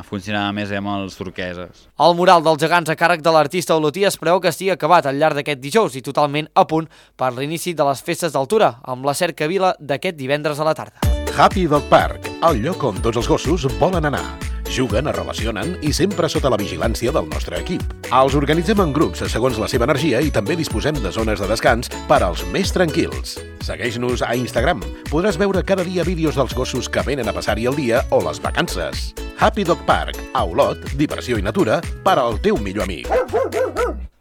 funcionava més amb els turqueses. El mural dels gegants a càrrec de l'artista olotí es preveu que estigui acabat al llarg d'aquest dijous i totalment a punt per l'inici de les festes d'altura, amb la cercavila d'aquest divendres a la tarda. Happy Dog Park, el lloc on tots els gossos volen anar. Juguen, es relacionen i sempre sota la vigilància del nostre equip. Els organitzem en grups segons la seva energia i també disposem de zones de descans per als més tranquils. Segueix-nos a Instagram. Podràs veure cada dia vídeos dels gossos que venen a passar-hi el dia o les vacances. Happy Dog Park, a Olot, diversió i natura per al teu millor amic.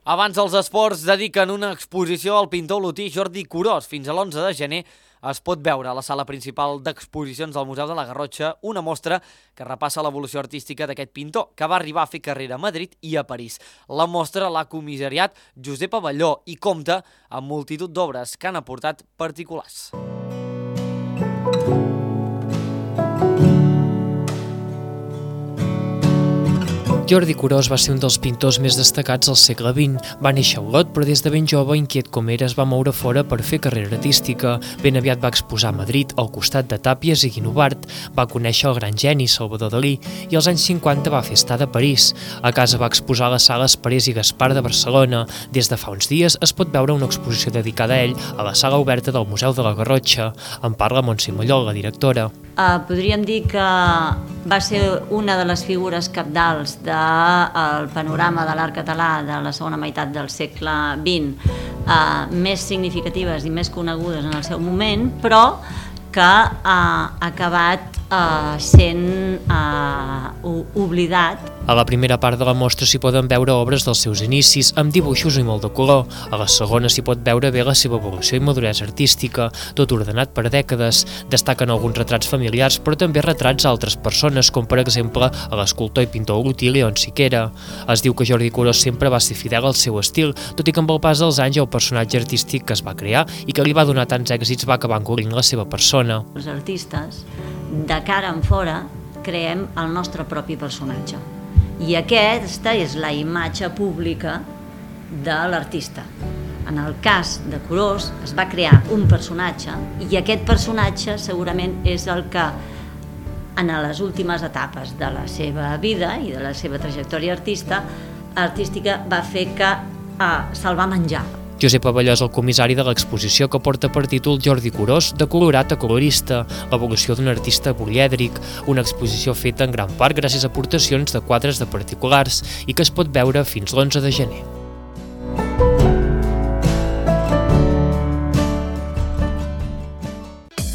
Abans els esports dediquen una exposició al pintor olotí Jordi Curós. Fins a l'onze de gener es pot veure a la sala principal d'exposicions del Museu de la Garrotxa una mostra que repassa l'evolució artística d'aquest pintor, que va arribar a fer carrera a Madrid i a París. La mostra l'ha comissariat Josep Avelló i compta amb multitud d'obres que han aportat particulars. Jordi Curós va ser un dels pintors més destacats al segle vint. Va néixer a Olot, però des de ben jove, inquiet com era, es va moure fora per fer carrera artística. Ben aviat va exposar a Madrid, al costat de Tàpies i Guinovart. Va conèixer el gran geni Salvador Dalí i als anys cinquanta va fer estada a París. A casa va exposar a les sales Parés i Gaspar de Barcelona. Des de fa uns dies es pot veure una exposició dedicada a ell a la sala oberta del Museu de la Garrotxa. En parla Montse Mallol, la directora. Uh, podríem dir que va ser una de les figures cabdals del panorama de l'art català de la segona meitat del segle vint, uh, més significatives i més conegudes en el seu moment, però que ha acabat uh, sent uh, oblidat. A la primera part de la mostra s'hi poden veure obres dels seus inicis, amb dibuixos i molt de color. A la segona s'hi pot veure bé la seva evolució i maduresa artística, tot ordenat per dècades. Destaquen alguns retrats familiars, però també retrats a altres persones, com per exemple a l'escultor i pintor olotí León Siquera. Es diu que Jordi Curós sempre va ser fidel al seu estil, tot i que amb el pas dels anys el personatge artístic que es va crear i que li va donar tants èxits va acabar encobrint la seva persona. Els artistes, de cara en fora, creem el nostre propi personatge. I aquesta és la imatge pública de l'artista. En el cas de Curós es va crear un personatge i aquest personatge segurament és el que en les últimes etapes de la seva vida i de la seva trajectòria artista, artística va fer que eh, se'l va menjar. Josep Abelló és el comissari de l'exposició que porta per títol Jordi Curós, de colorat a colorista, l'evolució d'un artista polièdric, una exposició feta en gran part gràcies a aportacions de quadres de particulars i que es pot veure fins l'onze de gener.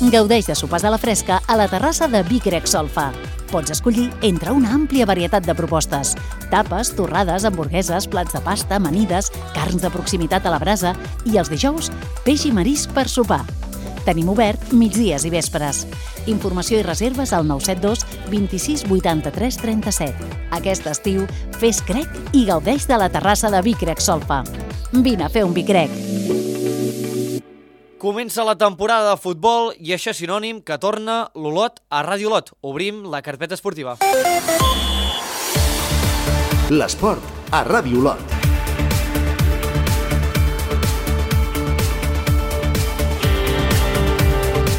Gaudeix de sopars a la fresca a la terrassa de Vic Grec Solfa. Pots escollir entre una àmplia varietat de propostes. Tapes, torrades, hamburgueses, plats de pasta, amanides, carns de proximitat a la brasa i els dijous, peix i marisc per sopar. Tenim obert migdies i vespres. Informació i reserves al nou set dos vint-i-sis vuitanta-tres trenta-set. Aquest estiu, fes crec i gaudeix de la terrassa de Vic Grec Solfa. Vine a fer un Vic Grec. Comença la temporada de futbol i això és sinònim que torna l'Olot a Ràdio Olot. Obrim la carpeta esportiva. L'esport a Ràdio Olot.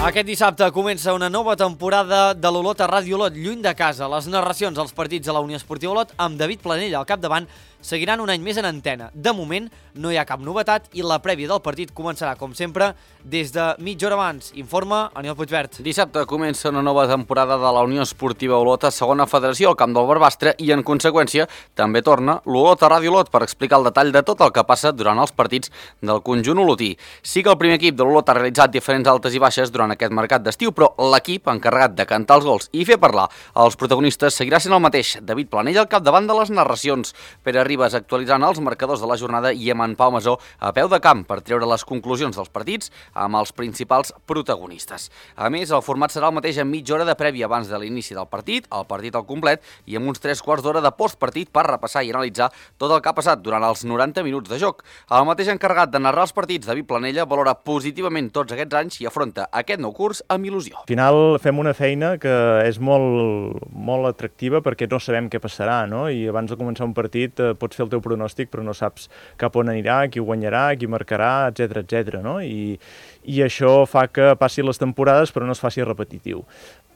Aquest dissabte comença una nova temporada de l'Olot a Ràdio Olot, lluny de casa. Les narracions als partits de la Unió Esportiva Olot amb David Planell al capdavant seguiran un any més en antena. De moment no hi ha cap novetat i la prèvia del partit començarà, com sempre, des de mitja hora abans. Informa Aniol Puigvert. Dissabte comença una nova temporada de la Unió Esportiva Olot a segona federació al camp del Barbastre i, en conseqüència, també torna l'Olot a Ràdio Olot per explicar el detall de tot el que passa durant els partits del conjunt olotí. Sí que el primer equip de l'Olot ha realitzat diferents altes i baixes durant aquest mercat d'estiu, però l'equip encarregat de cantar els gols i fer parlar als protagonistes seguirà sent el mateix. David Planell al capdavant de les narracions. Pere Ribas actualitzant els marcadors de la jornada i amb en Pau Masó a peu de camp per treure les conclusions dels partits amb els principals protagonistes. A més, el format serà el mateix amb mitja hora de prèvia abans de l'inici del partit, el partit al complet i amb uns tres quarts d'hora de postpartit per repassar i analitzar tot el que ha passat durant els noranta minuts de joc. El mateix encarregat de narrar els partits, David Planella, valora positivament tots aquests anys i afronta aquest nou curs amb il·lusió. Al final fem una feina que és molt, molt atractiva perquè no sabem què passarà, no? I abans de començar un partit eh, pots fer el teu pronòstic però no saps cap on anirà, qui guanyarà, qui marcarà, etcètera, etcètera, no? I, i això fa que passin les temporades però no es faci repetitiu.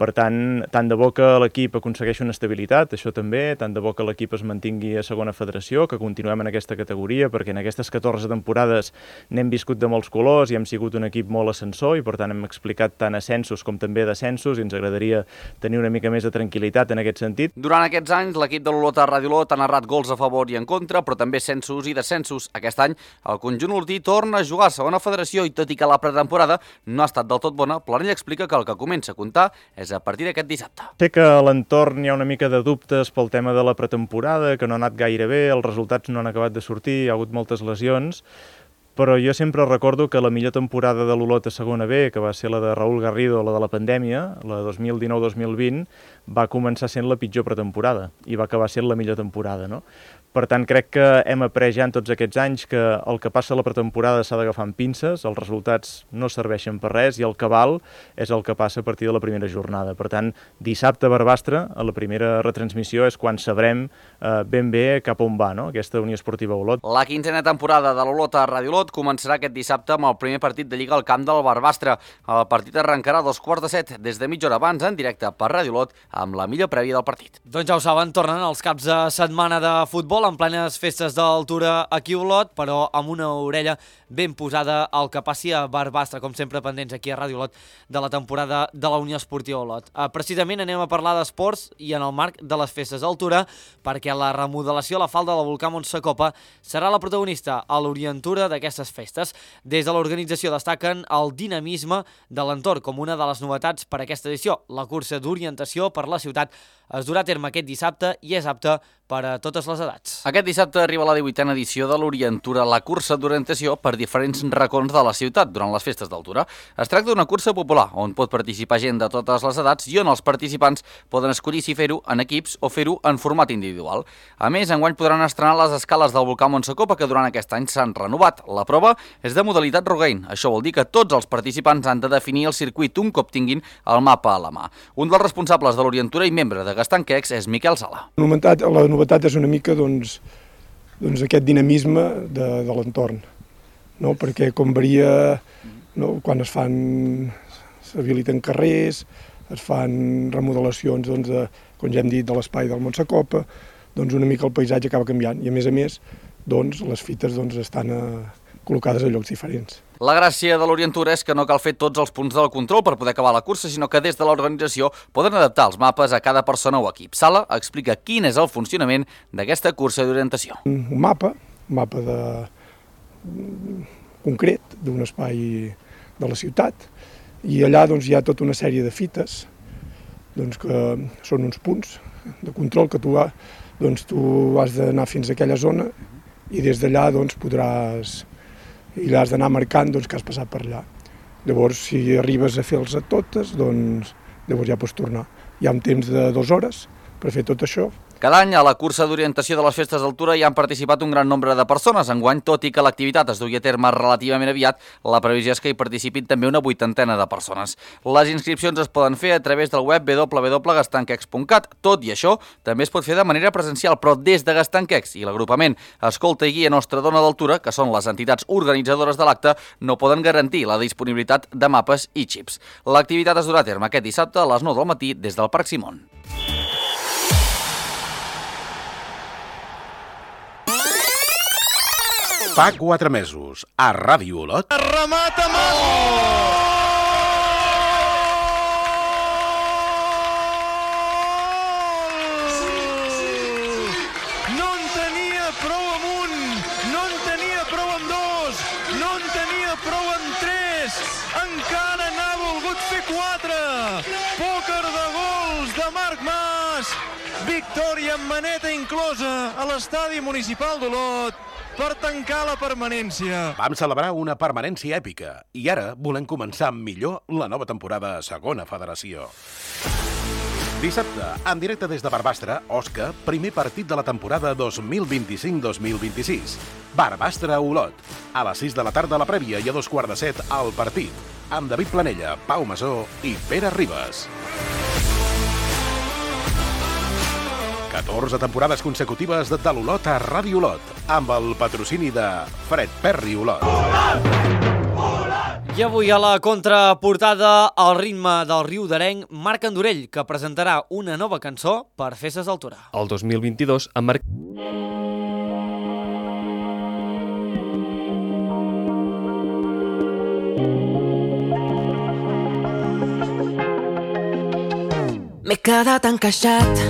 Per tant, tant de bo que l'equip aconsegueixi una estabilitat, això també, tant de bo que l'equip es mantingui a segona federació, que continuem en aquesta categoria, perquè en aquestes catorze temporades n'hem viscut de molts colors i hem sigut un equip molt ascensor i per tant hem explicat tant ascensos com també descensos i ens agradaria tenir una mica més de tranquil·litat en aquest sentit. Durant aquests anys, l'equip de l'Olot a Ràdio Olot ha narrat gols a favor i en contra, però també ascensos i descensos. Aquest any, el conjunt olotí torna a jugar a segona federació i tot i que la pretemporada no ha estat del tot bona, Planell explica que el que comença a comptar és a partir d'aquest dissabte. Sé que a l'entorn hi ha una mica de dubtes pel tema de la pretemporada, que no ha anat gaire bé, els resultats no han acabat de sortir, hi ha hagut moltes lesions, però jo sempre recordo que la millor temporada de l'Olot a segona B, que va ser la de Raúl Garrido, la de la pandèmia, la dos mil dinou dos mil vint, va començar sent la pitjor pretemporada i va acabar sent la millor temporada, no? Per tant, crec que hem après ja en tots aquests anys que el que passa a la pretemporada s'ha d'agafar amb pinces, els resultats no serveixen per res i el que val és el que passa a partir de la primera jornada. Per tant, dissabte a Barbastre, a la primera retransmissió, és quan sabrem eh, ben bé cap on va, no?, aquesta Unió Esportiva Olot. La quinzena temporada de l'Olot a Ràdio Olot començarà aquest dissabte amb el primer partit de Lliga al camp del Barbastre. El partit arrencarà a dos quarts de set, des de mitja hora abans, en directe per Ràdio Olot, amb la millor prèvia del partit. Doncs ja ho saben, tornen els caps de setmana de futbol en plenes festes d'altura aquí a Olot, però amb una orella ben posada al que passi a Barbastre, com sempre pendents aquí a Ràdio Olot de la temporada de la Unió Esportiva Olot. Uh, precisament anem a parlar d'esports i en el marc de les festes d'altura, perquè la remodelació a la falda del volcà Montsecopa serà la protagonista a l'orientura d'aquestes festes. Des de l'organització destaquen el dinamisme de l'entorn com una de les novetats per a aquesta edició. La cursa d'orientació per la ciutat es durà a terme aquest dissabte i és apta per a totes les edats. Aquest dissabte arriba la divuitena edició de l'Orientura, la cursa d'orientació per diferents racons de la ciutat durant les festes d'altura. Es tracta d'una cursa popular on pot participar gent de totes les edats i on els participants poden escollir si fer-ho en equips o fer-ho en format individual. A més, enguany podran estrenar les escales del volcà Montsecopa que durant aquest any s'han renovat. La prova és de modalitat rogaine. Això vol dir que tots els participants han de definir el circuit un cop tinguin el mapa a la mà. Un dels responsables de l'Orientura i membre de Gastanquecs és Miquel Sala. La novetat, la novetat és una mica doncs, doncs aquest dinamisme de, de l'entorn. no? Perquè com varia, no? Quan es fan, s'habiliten carrers, es fan remodelacions, doncs, de, com ja hem dit, de l'espai del Montsacopa, doncs una mica el paisatge acaba canviant i a més a més doncs, les fites doncs, estan eh, col·locades a llocs diferents. La gràcia de l'Orient Tour és que no cal fer tots els punts del control per poder acabar la cursa, sinó que des de l'organització poden adaptar els mapes a cada persona o equip. Sala explica quin és el funcionament d'aquesta cursa d'orientació. Un mapa, un mapa de... concret d'un espai de la ciutat i allà doncs, hi ha tota una sèrie de fites doncs, que són uns punts de control que tu, doncs, tu has d'anar fins a aquella zona i des d'allà doncs, podràs i has d'anar marcant doncs, que has passat per allà. Llavors, si arribes a fer-les a totes, doncs llavors ja pots tornar. Hi ha un temps de dues hores per fer tot això. Cada any a la cursa d'orientació de les festes d'altura hi han participat un gran nombre de persones. Enguany, tot i que l'activitat es duia a terme relativament aviat, la previsió és que hi participin també una vuitantena de persones. Les inscripcions es poden fer a través del web w w w punt gastanquex punt cat. Tot i això, també es pot fer de manera presencial, però des de Gastanquex i l'agrupament Escolta i Guia Nostra Dona d'Altura, que són les entitats organitzadores de l'acte, no poden garantir la disponibilitat de mapes i xips. L'activitat es durà a terme aquest dissabte a les nou del matí des del Parc Simón. Fa quatre mesos, a Ràdio Olot... Remata Masu! No en tenia prou amb un, no en tenia prou amb dos, no en tenia prou amb tres, encara n'ha volgut fer quatre. Pòquer de gols de Marc Mas, victòria amb maneta inclosa a l'estadi municipal d'Olot, per tancar la permanència. Vam celebrar una permanència èpica i ara volem començar millor la nova temporada a Segona Federació. Dissabte, en directe des de Barbastre, Osca, primer partit de la temporada dos mil vint-i-cinc dos mil vint-i-sis. Barbastre-Olot. A les sis de la tarda la prèvia i a dos quarts de set al partit. Amb David Planella, Pau Masó i Pere Ribas. catorze temporades consecutives de l'Olot a Ràdio Olot, amb el patrocini de Fred Perry Olot. I avui a la contraportada, al ritme del riu d'Arenc, Marc Andorell, que presentarà una nova cançó per Festes d'Altura. El dos mil vint-i-dos, en Marc... M'he quedat encaixat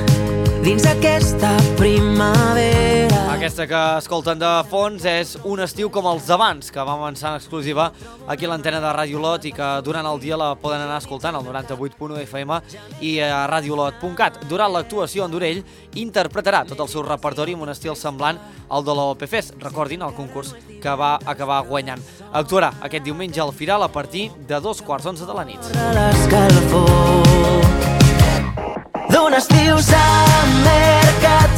dins aquesta primavera. Aquesta que escolten de fons és Un estiu com els d'abans, que vam avançar en exclusiva aquí a l'antena de Ràdio Olot i que durant el dia la poden anar escoltant al noranta-vuit punt u F M i a radiolot punt cat. Durant l'actuació, Andorell interpretarà tot el seu repertori amb un estil semblant al de l'O P Fest. Recordin el concurs que va acabar guanyant. Actuarà aquest diumenge al Firal a partir de dos quarts onze de la nit. D'un estiu s'ha mercat,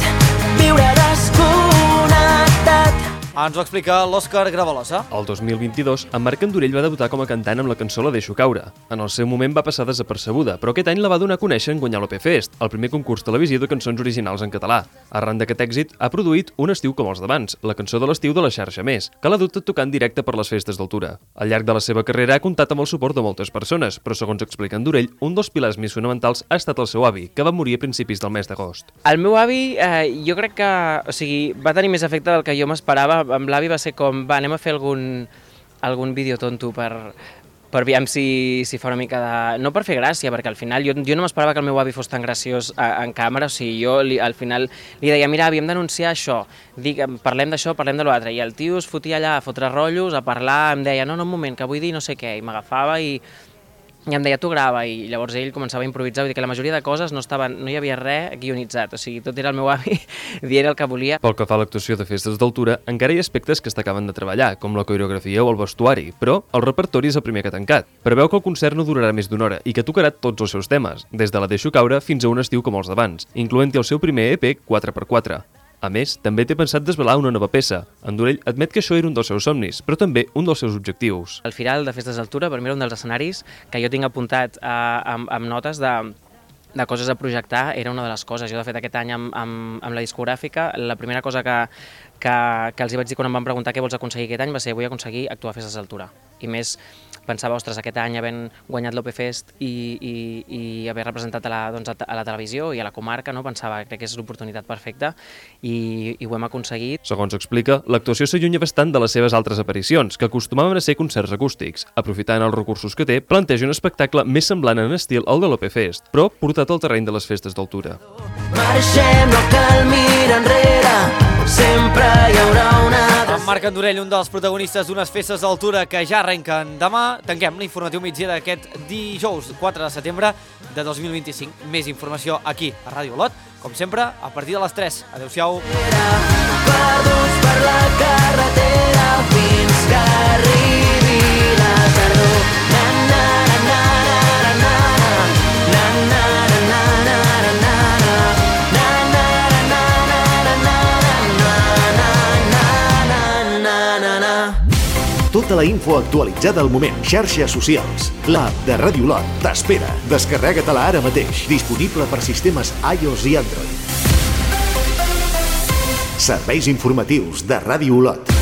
viure desconnectat. Ens ho explica l'Òscar Gravalosa. El dos mil vint-i-dos, en Marc Andorell va debutar com a cantant amb la cançó La deixo caure. En el seu moment va passar desapercebuda, però aquest any la va donar a conèixer en guanyar l'O P Fest, el primer concurs televisiu de cançons originals en català. Arran d'aquest èxit, ha produït Un estiu com els d'abans, la cançó de l'estiu de la xarxa Més, que l'ha dut a tocar en directe per les festes d'altura. Al llarg de la seva carrera ha comptat amb el suport de moltes persones, però segons explica Andorell, un dels pilars més fonamentals ha estat el seu avi, que va morir a principis del mes d'agost. El meu avi, eh, jo crec que o sigui, va tenir més efecte del que jo m'esperava. Amb l'avi va ser com, va, anem a fer algun, algun vídeo tonto per, per veure si, si fa una mica de... No per fer gràcia, perquè al final jo, jo no m'esperava que el meu avi fos tan graciós a, en càmera, o sigui, jo li, al final li deia, mira, avi, hem d'anunciar això, dic, parlem d'això, parlem de l'altre, i el tio es fotia allà a fotre rotllos, a parlar, em deia, no, no, un moment, que vull dir no sé què, i m'agafava i... I em deia, tu grava, i llavors ell començava a improvisar, vull dir que la majoria de coses no estaven, no hi havia res guionitzat, o sigui, tot era el meu avi dient el que volia. Pel que fa a l'actuació de Festes d'Altura, encara hi ha aspectes que s'acaben de treballar, com la coreografia o el vestuari, però el repertori és el primer que ha tancat. Preveu que el concert no durarà més d'una hora i que tocarà tots els seus temes, des de La deixo caure fins a Un estiu com els d'abans, incloent-hi el seu primer E P quatre per quatre. A més, també té pensat desvelar una nova peça. Andorell admet que això era un dels seus somnis, però també un dels seus objectius. El Firal de Festes d'Altura per mi era un dels escenaris que jo tinc apuntat eh, amb, amb notes de de coses a projectar era una de les coses. Jo, de fet, aquest any amb, amb, amb la discogràfica, la primera cosa que, que, que els hi vaig dir quan em van preguntar què vols aconseguir aquest any va ser vull aconseguir actuar a festes d'altura. I més, pensava, ostres, aquest any havent guanyat l'O P Fest i, i, i haver representat a la, doncs, a la televisió i a la comarca, no? Pensava, crec que és l'oportunitat perfecta i, i ho hem aconseguit. Segons explica, l'actuació s'allunya bastant de les seves altres aparicions, que acostumaven a ser concerts acústics. Aprofitant els recursos que té, planteja un espectacle més semblant en estil al de l'O P Fest, però portat al terreny de les festes d'altura. Marxem, no cal mirar enrere, sempre hi haurà una... En Marc Andorell, un dels protagonistes d'unes festes d'altura que ja arrenquen demà. Tanquem l'informatiu migdia d'aquest dijous quatre de setembre de dos mil vint-i-cinc. Més informació aquí a Ràdio Olot, com sempre, a partir de les tres. Adéu-siau. Perduts per la carretera fins que arribi la tardor. Na, na, na, na, na, na, na, na, na, na, na, tota la info actualitzada al moment. Xarxes socials. L'app de Ràdio Olot t'espera. Descarrega-te-la ara mateix. Disponible per sistemes iOS i Android. Serveis informatius de Ràdio Olot.